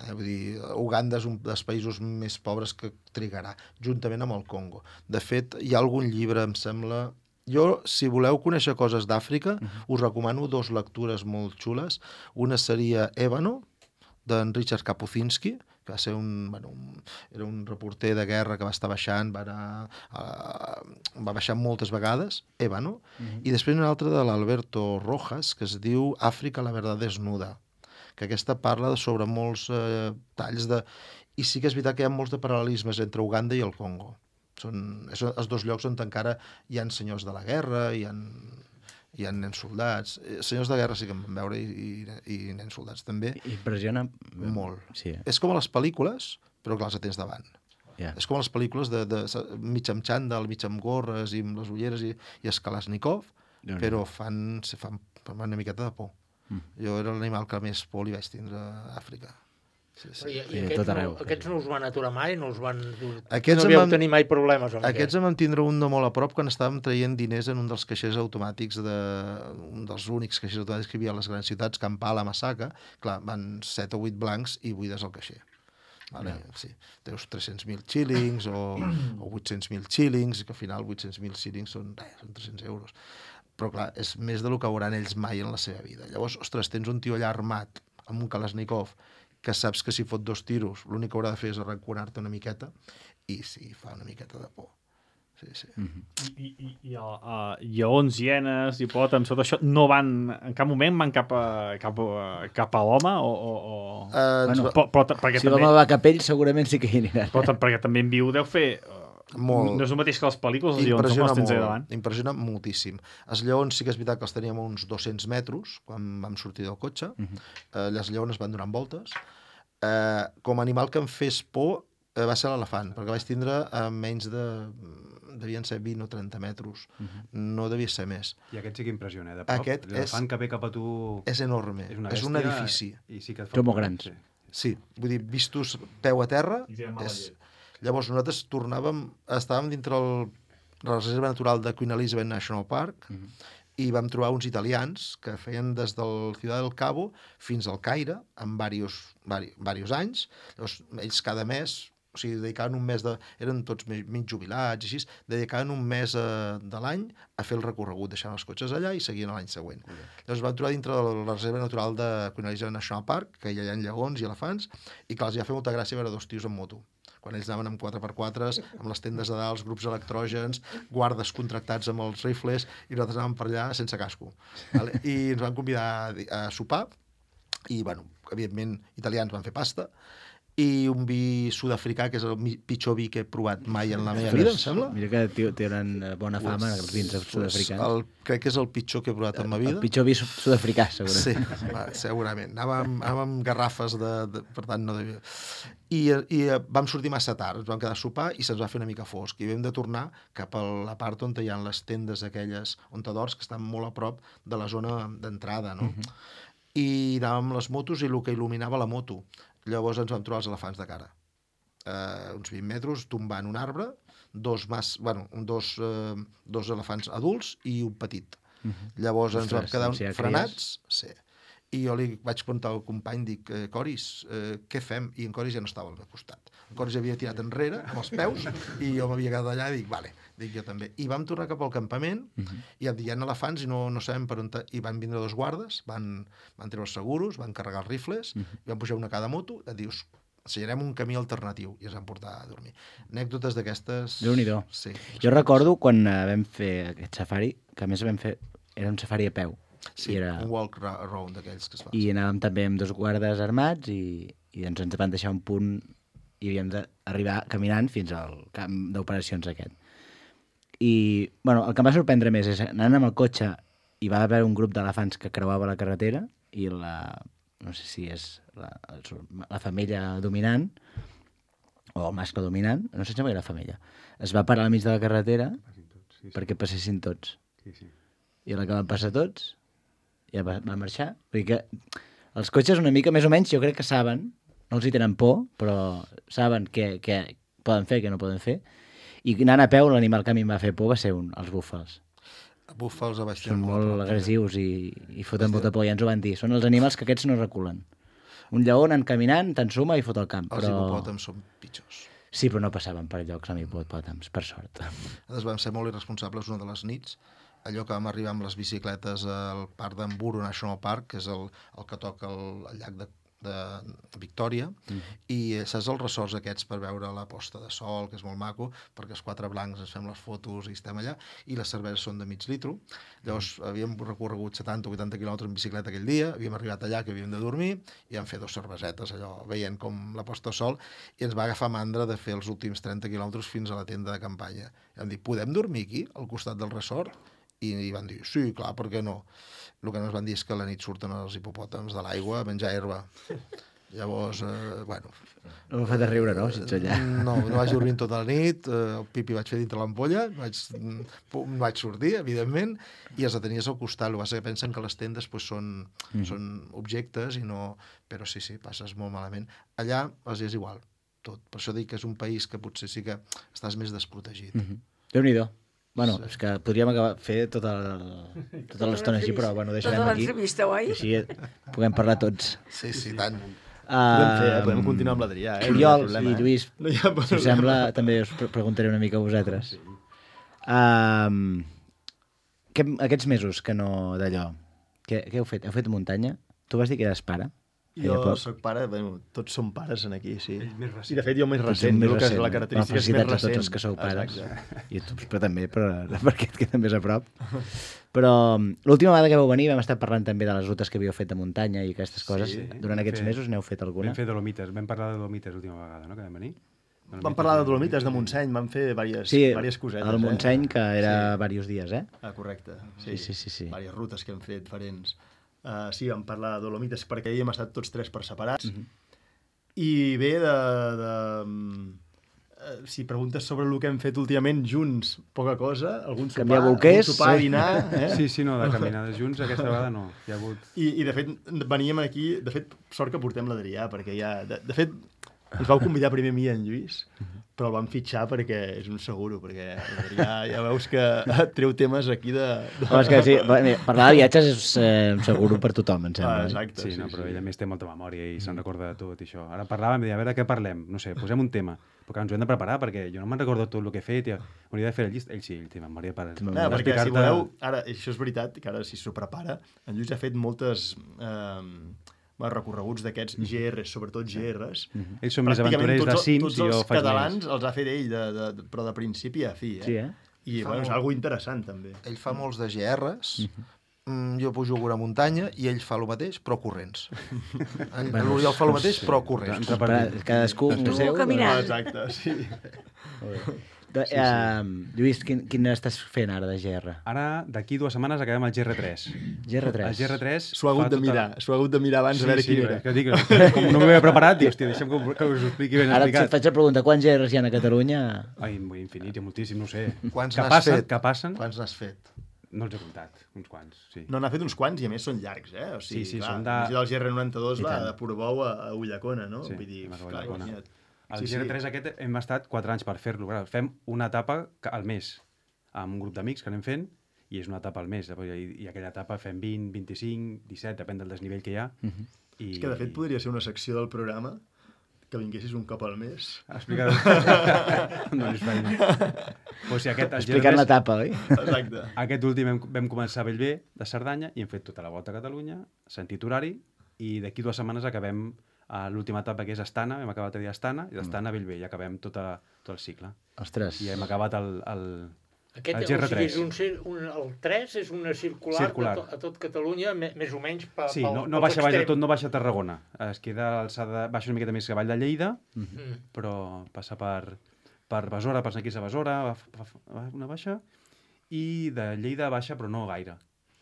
Eh, vull dir, Uganda és un dels països més pobres que trigarà, juntament amb el Congo. De fet, hi ha algun llibre, em sembla... Jo, si voleu conèixer coses d'Àfrica, uh-huh. us recomano dos lectures molt xules. Una seria Ébano, d'en Richard Kapuscinski, que va ser un, bueno, un, era un reporter de guerra que va estar baixant, va, anar, uh, va baixar moltes vegades, Ébano, uh-huh. i després una altra de l'Alberto Rojas, que es diu Àfrica, la verdad desnuda, que aquesta parla sobre molts eh, talls de... I sí que és veritat que hi ha molts de paral·lelismes entre Uganda i el Congo. Són són els dos llocs on encara hi ha senyors de la guerra, hi ha, hi ha nens soldats. Senyors de guerra sí que en vam veure i, i, i nens soldats també. Impressiona molt. Sí. És com a les pel·lícules, però clar, els tens davant. Yeah. És com a les pel·lícules de, de, mig amb xandall, mig amb gorres i amb les ulleres i, i els Kalashnikov, no, no. però fan, fan, fan una miqueta de por. Mm. Jo era l'animal que més por li vaig tindre a Àfrica. Sí, sí. I, i aquests, no, aquests no us van aturar mai? No us van... Aquests no havíeu vam... tenir mai problemes amb aquests em van tindre un de molt a prop quan estàvem traient diners en un dels caixers automàtics, de... un dels únics caixers automàtics que hi havia a les grans ciutats, Kampala, Masaka. Clar, van set o vuit blancs i buides al caixer. Vale? Yeah. Sí. Teus tres-cents mil xílings o, o vuit-cents mil xílings, que al final vuit-cents mil xílings són, eh, són tres-cents euros. Però clar, és més del que veuran ells mai en la seva vida. Llavors, ostres, tens un tio allà armat amb un Kalashnikov que saps que si fot dos tiros l'únic que haurà de fer és arranconar-te una miqueta i sí, fa una miqueta de por. Sí, sí. Mm-hmm. I, i, i el, uh, lleons, hienes, hipopòtams, tot això no van, en cap moment van cap a, cap a, cap a l'home o... o, o... Uh, bueno, però, però, perquè si també... l'home va cap ell segurament sí que hi aniran. Però perquè també en viu deu fer... Molt. No és el mateix que les pel·lícules, els lleons com els tens allà davant. Impressiona moltíssim. Els lleons sí que és veritat que els teníem a uns dos-cents metres quan vam sortir del cotxe. Uh-huh. eh, les lleones van donant voltes. Eh, com a animal que em fes por eh, va ser l'elefant, perquè vaig tindre a menys de... devien ser vint o trenta metres. Uh-huh. No devia ser més. I aquest sí que impressiona, eh? De prop. Aquest l'elefant és... que ve cap a tu... És enorme. És, una és un edifici. I sí que et fa... Són molt grans. Sí. sí, vull dir, vistos peu a terra... És... Llavors nosaltres tornàvem, estàvem dintre el, la reserva natural de Queen Elizabeth National Park uh-huh. i vam trobar uns italians que feien des del Ciudad del Cabo fins al Caire en diversos, diversos anys. Llavors ells cada mes, o sigui, dedicaven un mes de... eren tots mig jubilats i així, dedicaven un mes eh, de l'any a fer el recorregut, deixant els cotxes allà i seguien l'any següent. Uh-huh. Llavors vam trobar dintre de la reserva natural de Queen Elizabeth National Park, que hi ha lleons i elefants, i que els hi va fer molta gràcia veure dos tios en moto. Quan ells anaven amb quatre per quatre, amb les tendes de dalt, els grups electrògens, guardes contractats amb els rifles, i nosaltres anàvem per allà sense casco. Vale? I ens van convidar a sopar, i, bueno, evidentment, italians van fer pasta, i un vi sud-africà, que és el pitjor vi que he provat mai en la meva vida, em sembla. Mira que tenen bona fama, pues, els vins sud-africans. El, crec que és el pitjor que he provat en ma vida. El pitjor vi sud-africà, segurament. Sí, va, segurament. Anàvem, anàvem amb garrafes, de, de, per tant, no devia... I, I vam sortir massa tard, ens vam quedar a sopar i se'ns va fer una mica fosc. I vam de tornar cap a la part on hi ha les tendes aquelles, on t'adors, que estan molt a prop de la zona d'entrada, no? Uh-huh. I anàvem amb les motos i el que il·luminava la moto. Llavors ens vam trobar els elefants de cara. Uh, uns vint metres, tombant un arbre, dos, mas, bueno, dos, uh, dos elefants adults i un petit. Uh-huh. Llavors ens vam quedar frenats, sí. i jo li vaig preguntar al company, dic, eh, Coris, eh, què fem? I en Coris ja no estava al meu costat. En Coris havia tirat enrere, amb els peus, i jo m'havia quedat allà i dic, vale, dic jo també. I vam tornar cap al campament, uh-huh. i em dic, hi ha elefants i no, no sabem per on... I van vindre dos guardes, van, van treure els seguros, van carregar els rifles, uh-huh. i van pujar una a cada moto, i dius, ensenyarem un camí alternatiu, i ens van portar a dormir. Anècdotes d'aquestes... Déu-n'hi-do. Sí. Jo recordo quan uh, vam fer aquest safari, que a més vam fer... Era un safari a peu. Sí, era... un walk around d'aquells que es fa. I anàvem també amb dos guardes armats i, i doncs ens van deixar un punt i havíem d'arribar caminant fins al camp d'operacions aquest. I, bueno, el que em va sorprendre més és anant amb el cotxe hi va haver un grup d'elefants que creuava la carretera i la, no sé si és la, la femella dominant o el mascle dominant, no sé si era la femella, es va parar al mig de la carretera tots, sí, sí. perquè passessin tots. Sí, sí. I a la que van passar tots ja va, va marxar. Vull dir que els cotxes una mica més o menys jo crec que saben, no els hi tenen por, però saben què, què poden fer, què no poden fer. I anant a peu, l'animal que a mi em va fer por va ser un, els búfals. Búfals a baix Són molt agressius i, i foten molta por, ja ens ho van dir. Són els animals que aquests no reculen. Un lleó anant caminant, t'ensuma i fot el camp. Els però... hipopòtams són pitjors. Sí, però no passaven per llocs amb hipopòtams, per sort. Nosaltres vam ser molt irresponsables una de les nits, allò que vam arribar amb les bicicletes al parc d'Emburo National Park, que és el, el que toca el, el llac de, de Victòria, mm. i saps els ressorts aquests per veure la posta de sol, que és molt maco, perquè els quatre blancs ens fem les fotos i estem allà, i les cerveses són de mig litro. Llavors havíem recorregut setanta o vuitanta quilòmetres en bicicleta aquell dia, havíem arribat allà que havíem de dormir, i vam fer dos cervesetes, allò, veient com la posta de sol, i ens va agafar mandra de fer els últims trenta quilòmetres fins a la tenda de campanya. I vam dir, podem dormir aquí, al costat del ressort? I, i van dir, sí, clar, per què no? El que no ens van dir és que a la nit surten els hipopòtams de l'aigua a menjar herba. Llavors, eh, bueno... No m'ha fet riure, no, si ets allà? No, no vaig dormir tota la nit, eh, el pipi vaig fer dintre l'ampolla, vaig, no vaig sortir, evidentment, i els tenies al costat. El que passa que pensen que les tendes pues, són, mm. són objectes, i no... però sí, sí, passes molt malament. Allà els és igual, tot. Per això dic que és un país que potser sí que estàs més desprotegit. Mm-hmm. Déu-n'hi-do. Bueno, sí. És que podríem acabar fer tota, el, tota l'estona així, però bueno, deixarem tota aquí. Tota l'entrevista, oi? Així puguem parlar tots. Sí, sí, tant. Uh, podem fer, eh? Podem continuar amb l'Adrià, eh? Oriol no i Lluís, no si us sembla, també us preguntaré una mica a vosaltres. Sí. Uh, que, aquests mesos que no d'allò, què, què heu fet? Heu fet muntanya? Tu vas dir que eres pare? Jo soc pare, bueno, tots som pares en aquí, sí. Més recent. I de fet jo més recent, més recent, que és la característica és més recent. Tots els que sou pares. Exacte. I tu, però també, però, perquè et queda més a prop. Però l'última vegada que vau venir vam estar parlant també de les rutes que havíeu fet de muntanya i aquestes coses. Sí, durant aquests fet, mesos n'heu fet alguna? Vam fer Dolomites, vam parlar de Dolomites l'última vegada, no?, que vam venir. Dolomites, vam parlar de Dolomites, de Montseny, vam fer diverses, sí, diverses cosetes. Sí, el Montseny, eh? que era sí. diversos dies, eh? Ah, correcte. Sí, sí, sí. sí. Diverses rutes que hem fet diferents. Uh, sí, vam parlar de Dolomites perquè hi hem estat tots tres per separats. Uh-huh. I bé, de, de, uh, si preguntes sobre el que hem fet últimament junts, poca cosa, algun sopar, algun sopar, sí. dinar... Eh? Sí, sí, no, de caminades junts aquesta vegada no. Hi ha hagut... I, I de fet, veníem aquí... De fet, sort que portem l'Adrià, perquè ja... De, de fet, ens vau convidar primer a mi i en Lluís, però el vam fitxar perquè és un seguro, perquè ja, ja veus que treu temes aquí de... de... Oh, és que sí, parlar de viatges és eh, un seguro per tothom, em sembla. Ah, exacte. Sí, sí, no, però sí. ell a més té molta memòria i se'n recorda de tot i això. Ara parlàvem i deia, a veure, què parlem? No sé, posem un tema. Però ens ho hem de preparar perquè jo no me'n recordo tot el que he fet i hauria de fer el llist. Ell sí, ell té memòria per... No, perquè si voleu... Ara, això és veritat, que ara si s'ho prepara, en Lluís ha fet moltes... Eh, recorreguts d'aquests G Rs, sobretot G Rs. Mm-hmm. Ells són més aventurers de cims i jo faig més. Tots els catalans els ha fet ell, de, de, de, però de principi a fi. Eh? Sí, eh? I bueno, és algo interessant, també. Ell fa molts de G Rs, mm-hmm. jo pujo a una muntanya i ell fa el mateix, però corrents. L'Oriol fa el mateix, però corrents. Cadascú un seu. Caminant. Exacte, sí. De, sí, sí. Uh, Lluís, quin, quin estàs fent ara de G R? Ara, d'aquí dues setmanes, acabem el G R tres. G R tres? El G R tres... S'ho ha hagut de mirar, tota... s'ho ha hagut de mirar abans sí, de veure sí, quin era. Que dic, com no m'ho havia preparat, dic, hòstia, deixa'm que, que us ho expliqui ben ara explicat. Ara et faig la pregunta, quants G Rs hi ha a Catalunya? Ai, infinit, hi ha moltíssim, no sé. Quants que n'has passen, fet? Que passen? Quants n'has fet? No els he comptat, uns quants, sí. No, n'ha fet uns quants i a més són llargs, eh? O sigui, sí, sí, clar, són de... del G R noranta-dos va de Portbou a, a Ullacona, no? Sí, vull dir, clar, imagina't. El sí, G R tres sí. Aquest hem estat quatre anys per fer-lo. Fem una etapa al mes amb un grup d'amics que anem fent i és una etapa al mes, i, i aquella etapa fem vint, vint-i-cinc, disset, depèn del desnivell que hi ha. Mhm. I... És que, de fet, podria ser una secció del programa que vinguessis un cop al mes. Explicar... no és feina. O sigui, aquest, Explicant l'etapa, oi? Exacte. Aquest últim vam, vam començar a Bellver, de Cerdanya, i hem fet tota la volta a Catalunya, sentit horari, i d'aquí dues setmanes acabem a l'última etapa, que és Astana, hem acabat a dir Astana, i d'Astana a Bellver, i acabem tota, tot el cicle. Ostres. I hem acabat el, el, Aquest, el G R o sigui, tres. és un, cir- un, el tres és una circular, Circular. A, to, a tot Catalunya, me, més o menys pa, Sí, pel, no, no pels baixa baix de extrems. tot, no baixa a Tarragona. Es queda a alçada, baixa una miqueta més que Vall de Lleida, Mm. però passa per, per Besora, per Sant Quirze Besora, fa, fa, fa una baixa, i de Lleida baixa, però no gaire.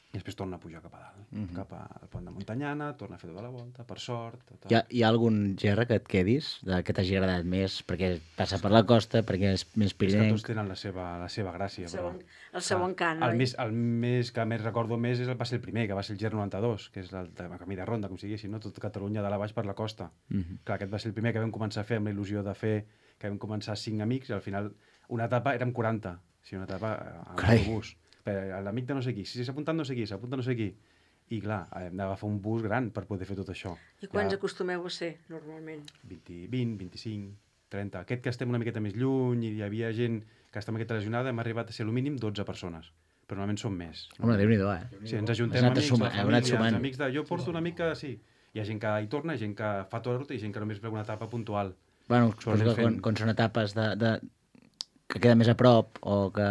I després torna a pujar cap a dalt, Mhm. cap al pont de Montanyana, torna a fer tota la volta, per sort... Tota... Hi ha, hi ha algun G R que et quedis, de, que t'hagi agradat més, perquè passa per la costa, perquè és més És que pirinenc? tots tenen la seva, la seva gràcia, El seu, però... el seu encant, el oi? més, el més que més recordo més és el, va ser el primer, que va ser el G R noranta-dos, que és el de camí de ronda, com sigui, no? Tot Catalunya de la baix per la costa. Mhm. Clar, aquest va ser el primer que vam començar a fer amb la il·lusió de fer, que vam començar cinc amics, i al final una etapa érem quaranta, o sigui, una etapa amb Carai. autobús. L'amic de no sé qui, si s'ha apuntat no sé qui, s'ha apuntat no sé qui. I clar, hem d'agafar un bus gran per poder fer tot això. I quants Ja acostumeu a ser, normalment? vint, vint, vint-i-cinc, trenta. Aquest que estem una miqueta més lluny i hi havia gent que està una miqueta lesionada, hem arribat a ser al mínim dotze persones. Però normalment són més. Home, Déu-n'hi-do, eh? Sí, ens ajuntem Has anat amics, sumant, la heu anat família, sumant. els amics de... Jo porto una mica, sí. Hi ha gent que hi torna, gent que fa tota la ruta i gent que només veu una etapa puntual. Bueno, Això suposo anem que quan, fent. quan són etapes de, de, que queden més a prop o que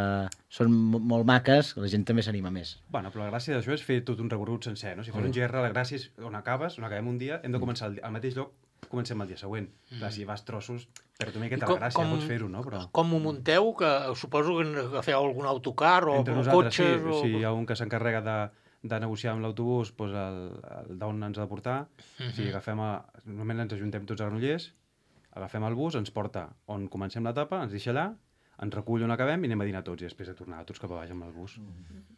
són mo- molt maques, la gent també s'anima més. Bueno, però la gràcia d'això és fer tot un recorregut sencer, no? Si fos un G R, la gràcia és on acabes, on acabem un dia, hem de començar el, di- al mateix lloc, comencem el dia següent. Mm. Clar, si vas trossos, perd una I miqueta com- la gràcia, com- pots fer-ho, no? Però Com ho munteu? Que suposo que agafeu algun autocar o, entre o nosaltres, cotxes? sí, o... sí, hi ha un que s'encarrega de, de negociar amb l'autobús doncs el, el d'on ens ha de portar. Mhm. O sigui, agafem a, normalment ens ajuntem tots a Granollers, agafem el bus, ens porta on comencem l'etapa, ens deixa allà, ens recull on acabem i anem a dinar tots, i després de tornar tots cap a baix amb el bus.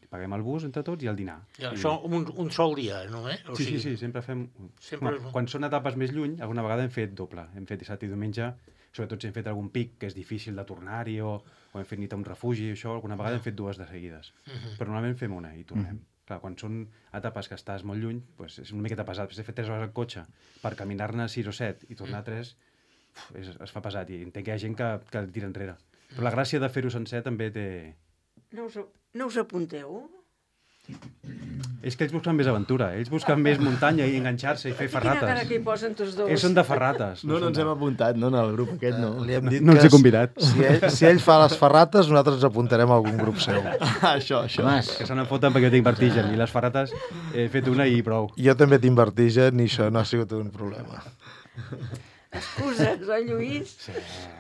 Paguem el bus entre tots i el dinar. I I- això un, un sol dia, no? Eh? O Sí, sigui, sí, sí, sempre fem... Sempre- Home, quan són etapes més lluny, alguna vegada hem fet doble. Hem fet dissabte i diumenge, sobretot si hem fet algun pic que és difícil de tornar-hi o, o hem fet nit a un refugi, això, alguna vegada hem fet dues de seguides. Mhm. Però normalment fem una i tornem. Clar, quan són etapes que estàs molt lluny, doncs és una miqueta pesat. Després de fer tres hores al cotxe per caminar-ne sis o set i tornar a tres, uf, és, es fa pesat i entenc que hi ha gent que, que el tira enrere. Però la gràcia de fer-ho sencer també té... No us, no us apunteu? És que ells busquen més aventura, ells busquen més muntanya i enganxar-se i fer Quina cara ferrates. que hi posen tots dos. Ells són de ferrates. No, no són ens de- hem apuntat, no, en el grup aquest, no. Li hem dit No els que he convidat. Si ell, si ell fa les ferrates, nosaltres ens apuntarem a algun grup seu. això, això. Mas, Que se n'en foten perquè jo tinc vertigen i les ferrates he fet una i prou. Jo també tinc vertigen i això no ha sigut un problema. Excuses, oi, Lluís?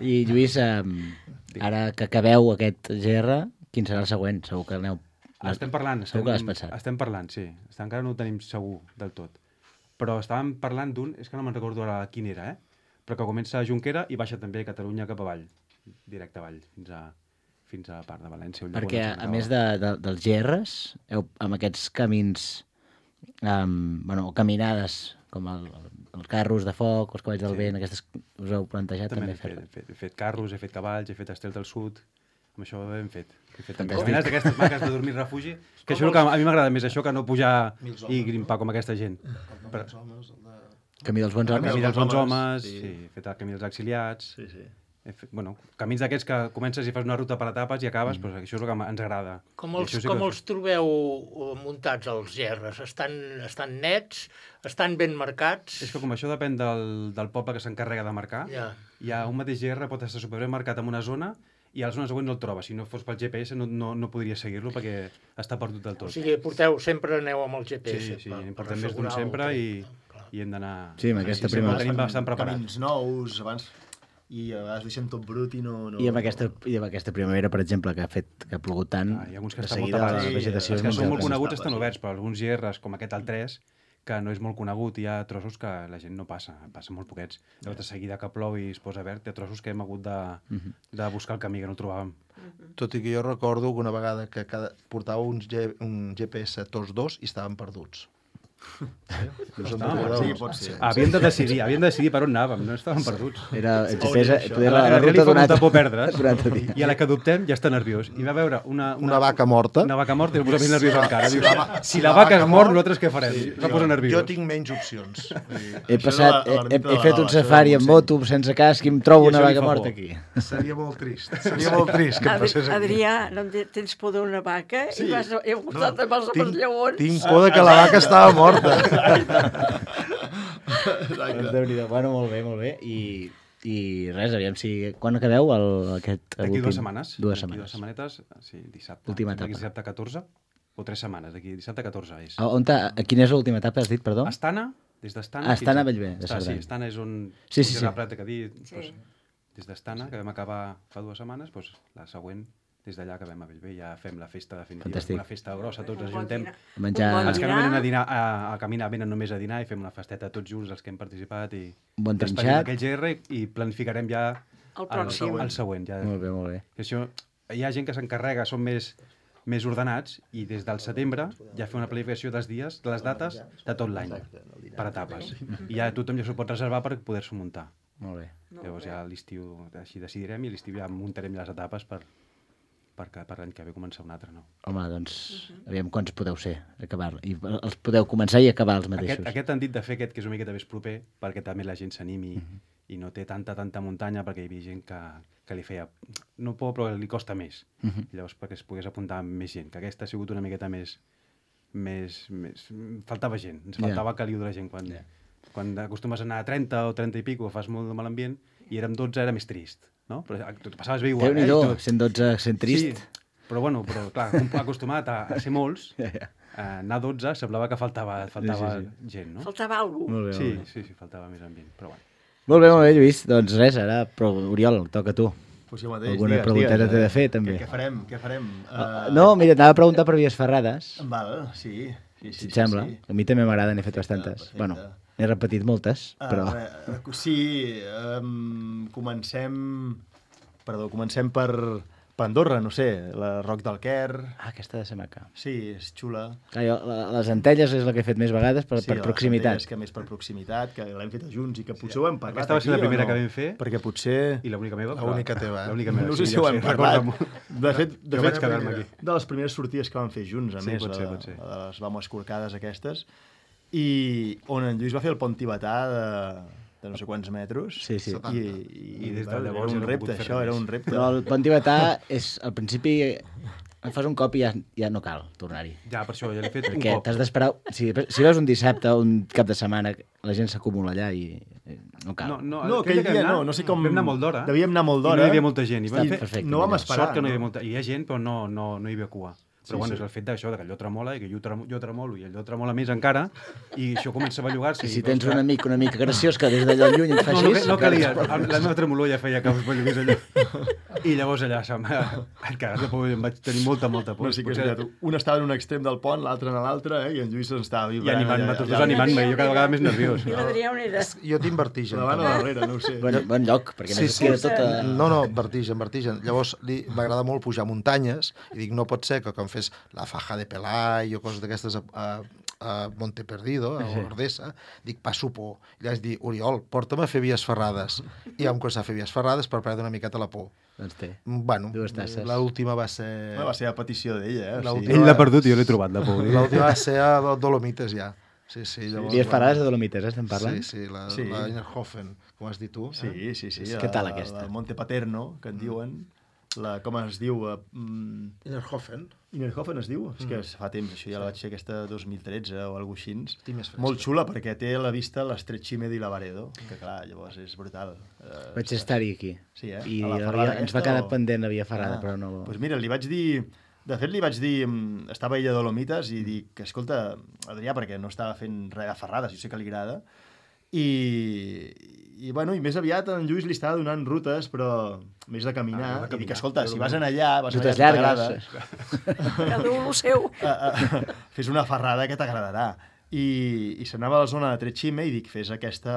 i Lluís, eh, ara que acabeu aquest G R, quin serà el següent? Segur que aneu... Estem parlant, Segur que l'has estem, pensat. estem parlant, sí. Estem, encara no ho tenim segur del tot. Però estàvem parlant d'un, és que no me'n recordo ara quin era, eh? Però que comença a Junquera i baixa també a Catalunya cap avall, directe avall, fins a, fins a part de València. Ulldecona, Perquè, em sembla a que més va. de, de, dels G Rs, heu, amb aquests camins, um, bueno, o caminades, com el, els carros de foc, els cavalls del Sí. vent, aquestes us heu plantejat També també, n'he fet, fer-les? he fet, he fet carros, he fet cavalls, he fet estels del sud, amb això ho hem fet. He fet també Fantàstic. caminades d'aquestes maques de dormir refugi, que això és el que a mi m'agrada més, això que no pujar i grimpar com aquesta gent. Però, Camí dels bons el homes? camí dels bons homes, homes, sí. sí, he fet el camí dels exiliats, Sí, sí. he fet, bueno, camins d'aquests que comences i fas una ruta per etapes i acabes, mm. doncs això és el que ens agrada. Com I els, això sí com que- els trobeu eh, muntats, els G Rs? Estan, estan nets? Estan ben marcats? És que com això depèn del, del poble que s'encarrega de marcar, Ja. hi ha un mateix G R pot estar superben marcat en una zona i a la zona següent no el troba. Si no fos pel G P S no, no, no podria seguir-lo perquè està perdut del O tot. sigui, porteu, sempre aneu amb el G P S. Sí, sí, per- en per portem més d'un assegurar el sempre tren. i, i hem d'anar... Sí, amb aquesta sí, primera- sempre tenim bastant preparat. Camins nous, abans... I a vegades deixem tot brut i no... no I amb, aquesta, I amb aquesta primavera, per exemple, que ha fet que ha plogut tant, Ah, hi ha alguns que de estan molt seguida tapats. la Sí, vegetació els és que molt són molt llarga. coneguts Estava, estan sí. oberts, però alguns G Rs com aquest al tres, que no és molt conegut, hi ha trossos que la gent no passa, passa molt poquets. Llavors, de seguida que plou i es posa verd, hi ha trossos que hem hagut de, de buscar el camí, que no el trobàvem. Tot i que jo recordo que una vegada que cada, portava un, G, un G P S tots dos i estaven perduts. No se'n Estàvem recorda. Sí, pot ser. Havíem de decidir, havíem de decidir per on anàvem, no estàvem perduts. Era, Oh, existeix, això. poder A la, la, la la ruta li fa d'un molta altre, por perdre's, d'un altre dia. i a la que adoptem ja està nerviós. I va veure una, una, Una vaca morta. Una vaca morta i el posa més nerviós encara. Si Dius, la va- si la vaca es mor, nosaltres què farem? Sí, Se posa nerviós. Jo tinc menys opcions. He, Això passat, de la- he, he, l'ermita de he la fet Lava, un això safari del amb Montseny. moto sense casc i em trobo I una això li vaca fa morta por. aquí. Seria molt trist. Seria molt trist que em Adri passés aquí. Adrià, no en te- tens por d'una vaca Sí. i vas he voltat amb els Tinc, lleons. tinc por de que la vaca estava morta. Doncs Déu-n'hi-do. Bueno, molt bé, molt bé. I, i res, aviam si... Quan acabeu el, aquest D'aquí últim? dues setmanes. Dues D'aquí setmanes. dues setmanetes, sí, dissabte. Última Sembla que etapa. Dissabte catorze, o tres setmanes, d'aquí dissabte catorze és. A, on ta, a quina és l'última etapa, has dit, perdó? Astana, des d'Astana... Ah, Astana a fins Bellver, de Està, Cerdanya. Sí, Astana és on... Sí, sí, és sí. la plata que ha dit. Sí. Doncs, des d'Astana, que vam acabar fa dues setmanes, doncs, la següent, des d'allà que vam a Bellver, ja fem la festa definitiva. Fantàstic. Una festa grossa, tots Un ens bon ajuntem. dinar. Menjar- Un bon Els que no dinar. venen a, dinar, a, a caminar venen només a dinar i fem una festeta tots junts, els que hem participat, i Un bon despedim trinxat. aquell G R i planificarem ja El pròxim. el, el següent. Ja. Molt bé, molt bé. Que això, hi ha gent que s'encarrega, són més, més ordenats, i des del setembre ja fa una planificació dels dies, de les dates, de tot l'any, per etapes. I ja tothom ja s'ho pot reservar per poder-s'ho muntar. Molt bé. Llavors ja a l'estiu així decidirem i a l'estiu ja muntarem les etapes per, per, que- per l'any que ve començar un altre, no? Home, doncs, aviam quants podeu ser, acabar I els podeu començar i acabar els mateixos. Aquest, aquest han dit de fer aquest, que és una miqueta més proper, perquè també la gent s'animi uh -huh. i no té tanta, tanta muntanya, perquè hi havia gent que, que li feia... No por, però li costa més. Uh -huh. I llavors perquè es pogués apuntar més gent, que aquesta ha sigut una miqueta més... més, més faltava gent, ens faltava yeah. caliu de la gent. Quan, yeah. quan acostumes a anar a trenta o trenta i pico, fas molt de mal ambient, i érem dotze, era més trist, no? Però tu passaves bé igual. Déu-n'hi-do, eh? Tot. cent dotze, sent trist. Sí, però bueno, però clar, com acostumat a, a ser molts, Ja, ja. a anar a dotze semblava que faltava, faltava Sí, sí, sí. gent, no? Faltava alguna cosa. Molt bé, Sí, molt bé. sí, sí, faltava més ambient, però bueno. Molt bé, molt bé, Lluís. Doncs res, ara, però Oriol, toca a tu. Pues jo mateix, Alguna digues, pregunteta digues, t'he de eh, fer, també. Què, què farem? Què farem? Uh, No, mira, t'anava a preguntar per Vies Ferrades, Val, sí. sí, sí si et sí, sembla. Sí. A mi també m'agrada, n'he fet bastantes. perfecte. Bueno, n'he repetit moltes, Ah, però... uh, sí, um, comencem... Perdó, comencem per, per Andorra, no sé, la Roc del Quer. Ah, aquesta ha de ser maca. Sí, és xula. Clar, jo, la- les Antelles és la que he fet més vegades per, Sí, per les proximitat. Centelles, que més per proximitat, que l'hem fet junts i que potser ho hem parlat Aquesta va ser aquí, la primera o no? que vam fer. Perquè potser... I l'única meva. L'única teva, eh? L'única meva. No sé sí, si ho ja hem sé, parlat. recorda molt. De fet, de Jo fet vaig quedar-me aquí. de les primeres sortides que vam fer junts, a Sí, més, pot ser, la, pot ser. la de les vamos escorcades aquestes, i on en Lluís va fer el pont tibetà de, de no sé quants metres. Sí, sí. I, i, I des de bueno, llavors era ja un no he repte, pogut fer això, res era més. un repte. Però el pont tibetà és, al principi, en fas un cop i ja, ja no cal tornar-hi. Ja, per això, ja l'he fet un Perquè cop. t'has d'esperar... Si, si vas un dissabte o un cap de setmana, la gent s'acumula allà i eh, no cal. No, no, No, aquell que dia vam anar, no, no sé com... Vam anar molt d'hora. Devíem anar molt I no d'hora. hi havia molta gent. I vam Està fer... perfecte, no vam millor. esperar. Sort que no hi havia no? molta... Hi ha gent, però no, no, no hi havia cua. Però Sí, bueno, sí. és el fet d'això, de que allò tremola i que jo, tremo, jo tremolo i allò tremola més encara i això comença a bellugar-se. I si tens un amic un amic graciós que des d'allò lluny et fa No, així... no, no calia, la meva tremolor ja feia que es bellugués allò. I llavors allà se'm vaig cagar de por, em vaig tenir molta, molta por. No, sí que és Potser- veritat. Un estava en un extrem del pont, l'altre en l'altre, eh? I en Lluís estava I vibrant. animant-me, allà, tots allà. dos animant-me, i jo cada vegada més nerviós. I l'Adrià on era? Jo tinc vertigen. Davant o darrere, no ho sé. Bon, bon lloc, perquè Sí, sí, sí. sí. tota... No, no, vertigen, vertigen. Llavors li m'agrada molt pujar muntanyes i dic, no pot ser que quan fes la faja de Pelai o coses d'aquestes a, a, a Monte Perdido, a Ordesa, dic, passo por. I li vaig dir, Oriol, porta'm a fer vies ferrades. I vam començar a fer vies ferrades per perdre una miqueta la por. Doncs té. Bueno, Dues tasses. l'última va ser... Bueno, va ser a petició d'ella, eh? O L'última- sigui, Ell l'ha perdut i jo l'he trobat, la por. L'última va ser a Dolomites, ja. Sí, sí. Llavors, Vies bueno, Ferrades de Dolomites, eh, estem parlant? Sí, sí, la, Sí. la Innerhofen, com has dit tu. Sí, sí, sí. Què tal aquesta? La Monte Paterno, que en diuen. La, com es diu? Uh, mm, Innerhofen. Innerhofen es diu? Mm. És que fa temps, això ja la vaig fer aquesta dos mil tretze o alguna cosa així. Estic més fresca. Molt xula, perquè té a la vista l'Estret Xime di Lavaredo, que clar, llavors és brutal. Uh, Vaig estar-hi aquí. Sí, eh? I A la havia, ferrada ens va aquesta quedar o- pendent la via ferrada, Ah, però no... Doncs pues mira, li vaig dir... De fet, li vaig dir... mm, Estava ella a Dolomites i dic que, escolta, Adrià, perquè no estava fent res de ferrades, jo sé que li agrada, i, i, bueno, i més aviat en Lluís li estava donant rutes, però més de caminar. Ah, de I dic, caminar. escolta, si vas anar allà, vas anar Rutes allà, si llargues. t'agrada, Cada un el seu. uh, uh, fes una ferrada que t'agradarà. i, i s'anava a la zona de Tretxime i dic, fes aquesta...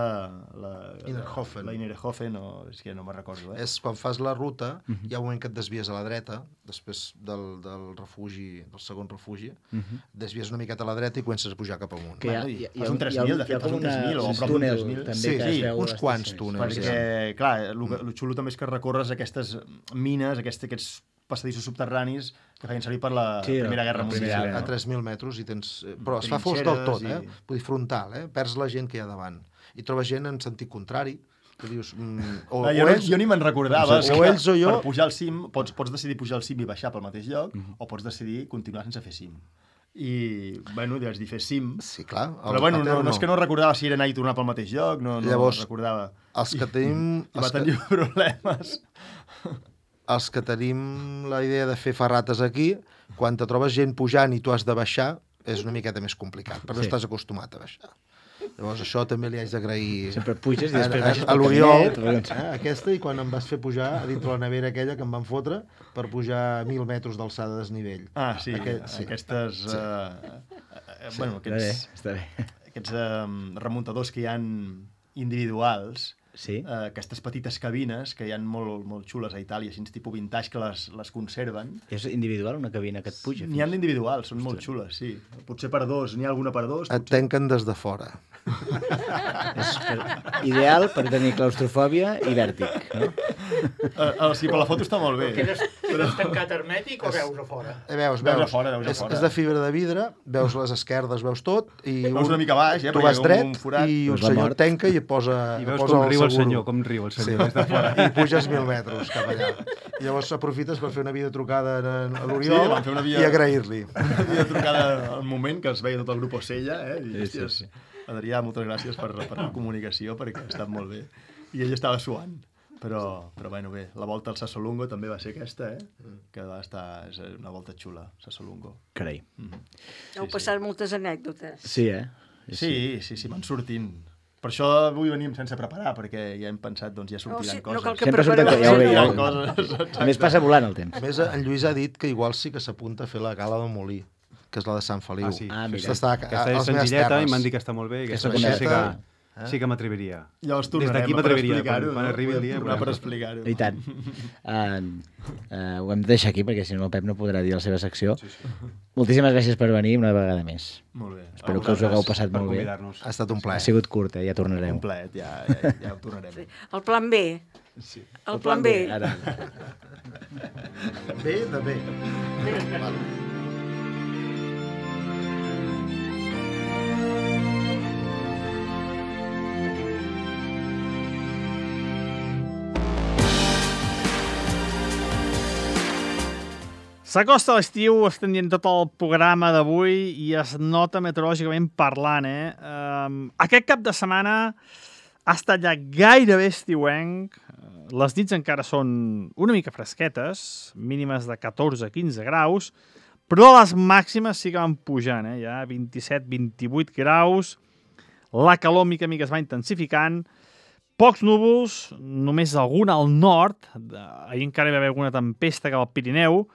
La, Innerhofen. La Innerhofen, o és que no me'n recordo. Eh? És quan fas la ruta, uh -huh. hi ha un moment que et desvies a la dreta, després del, del refugi, del segon refugi, uh -huh. desvies una miqueta a la dreta i comences a pujar cap amunt. Que hi ha, Bueno, hi ha, fas un tres mil, de fet, fas un tres mil o a prop d'un tres mil. També Sí, que sí, es veu uns les quants estacions. túnels. Perquè, clar, el, el xulo també és que recorres aquestes mines, aquests, aquests passadissos subterranis que feien servir per la Sí, Primera la Guerra Primera Mundial. Guerra. A tres mil metres i tens... Però es fa fosc del tot, eh? Vull dir, frontal, eh? Perds la gent que hi ha davant. I trobes gent en sentit contrari, que dius... Mm, o, Ah, jo, o no, ells, jo ni me'n recordava. o és que ells o jo- Per pujar al cim, pots, pots decidir pujar al cim i baixar pel mateix lloc, mm-hmm. o pots decidir continuar sense fer cim. I, bueno, vaig dir fer cim. Sí, clar. Però, bueno, no, no és que no recordava si era anar i tornar pel mateix lloc, no, no Llavors, recordava. Els que tenim... I va els que- tenir problemes. els que tenim la idea de fer ferrates aquí, quan te trobes gent pujant i tu has de baixar, és una miqueta més complicat, perquè no Sí. estàs acostumat a baixar. Llavors això també li haig d'agrair Sempre puges i a, després a, baixes a pel l'Oriol, caminet, eh, aquesta, i quan em vas fer pujar a dintre la nevera aquella que em van fotre per pujar a mil metres d'alçada de desnivell. Ah, sí, Aquest, sí. Aquestes... Sí. Uh, uh, bueno, Està bé, aquests, està bé. aquests uh, remuntadors que hi han individuals, Sí. uh, aquestes petites cabines que hi ha molt, molt xules a Itàlia, així tipus vintage, que les, les conserven. És individual una cabina que et puja? N'hi ha d'individuals, són molt xules, sí. Potser per dos, n'hi ha alguna per dos. Et tanquen des de fora. És per, ideal per tenir claustrofòbia i vèrtic, no? Uh, uh, sí, però la foto està molt bé. Quedes, quedes tancat hermètic o veus a fora? Eh, veus, Veus veus, a fora, veus a és, fora. és de fibra de vidre, veus les esquerdes, veus tot, i Veus una mica baix, eh, tu perquè vas hi ha dret un forat. i un Veus la senyor mort. et tanca i et posa, I veus posa com riu el seguro. senyor, com riu el senyor Sí. des de fora. I puges mil metres cap allà. I llavors aprofites per fer una videotrucada a Sí, l'Oriol vam fer una via... i agrair-li. Una via trucada al moment que es veia tot el grup Ocella, eh? I, Sí, sí, sí. Adrià, moltes gràcies per, per la comunicació, perquè ha estat molt bé. I ell estava suant. Però, però bueno, bé, la volta al Sassolungo també va ser aquesta, eh? Que va estar... És una volta xula, Sassolungo. Carai. Mm-hmm. Heu passat moltes anècdotes. Sí, eh? Sí, sí, sí, van sortint. Per això avui venim sense preparar, perquè ja hem pensat, doncs ja sortiran sí, no coses. cal que Sempre surten prepareu. ja ho veig, ja ho Sortiran veig. coses, exacte. A més, passa volant el temps. A més, en Lluís ha dit que igual sí que s'apunta a fer la gala del Molí, que és la de Sant Feliu. Ah, sí. Ah, mira. Aquesta està a, Aquesta a, és les meves senzilleta terres. i m'han dit que està molt bé. Aquesta Aquesta sí, sí que, Eh? sí que m'atreviria. Llavors Des tornarem d'aquí per m'atreviria. explicar-ho, Quan, quan no? arribi el dia... Tornar per veurem. explicar-ho. I tant. Uh, uh, ho hem de deixar aquí, perquè si no el Pep no podrà dir la seva secció. Sí, sí. Moltíssimes gràcies per venir una vegada més. Molt bé. Espero A que us ho hagueu vosaltres. passat Per molt bé. convidar-nos. Ha estat un Ha plaer. sigut curt, eh? Ja tornareu. Un plaet, ja, ja, ja ho tornarem. Sí. El plan B. Sí. El plan B. Ara. Bé, de bé. S'acosta l'estiu, estem dient tot el programa d'avui i es nota meteorològicament parlant, eh? Um, aquest cap de setmana ha estat ja gairebé estiuenc. Les nits encara són una mica fresquetes, mínimes de catorze a quinze graus, però les màximes sí que van pujant, eh? Ja vint-i-set a vint-i-vuit graus. La calor mica a mica es va intensificant. Pocs núvols, només algun al nord. Ahir encara hi va haver alguna tempesta cap al Pirineu,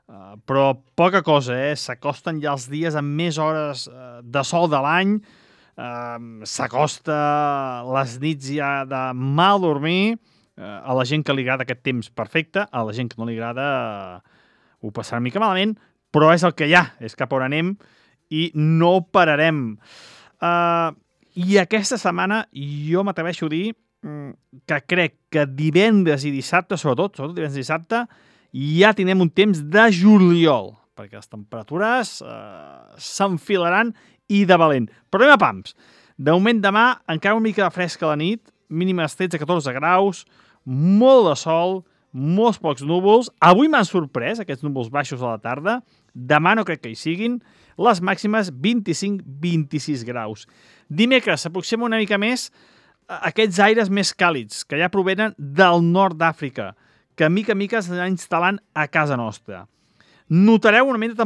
Uh, però poca cosa, eh? S'acosten ja els dies amb més hores uh, de sol de l'any, uh, s'acosta les nits ja de mal dormir, uh, a la gent que li agrada aquest temps perfecte, a la gent que no li agrada uh, ho passarà una mica malament, però és el que hi ha, és cap on anem i no pararem. Uh, I aquesta setmana jo m'atreveixo a dir um, que crec que divendres i dissabte, sobretot, sobretot divendres i dissabte, ja tindrem un temps de juliol, perquè les temperatures eh, s'enfilaran i de valent. Però anem a pams. De moment demà encara una mica de fresca a la nit, mínimes tretze a catorze graus, molt de sol, molts pocs núvols. Avui m'han sorprès aquests núvols baixos a la tarda, demà no crec que hi siguin, les màximes vint-i-cinc a vint-i-sis graus. Dimecres s'aproxima una mica més aquests aires més càlids, que ja provenen del nord d'Àfrica, que mica a mica s'anirà instal·lant a casa nostra. Notareu una mica de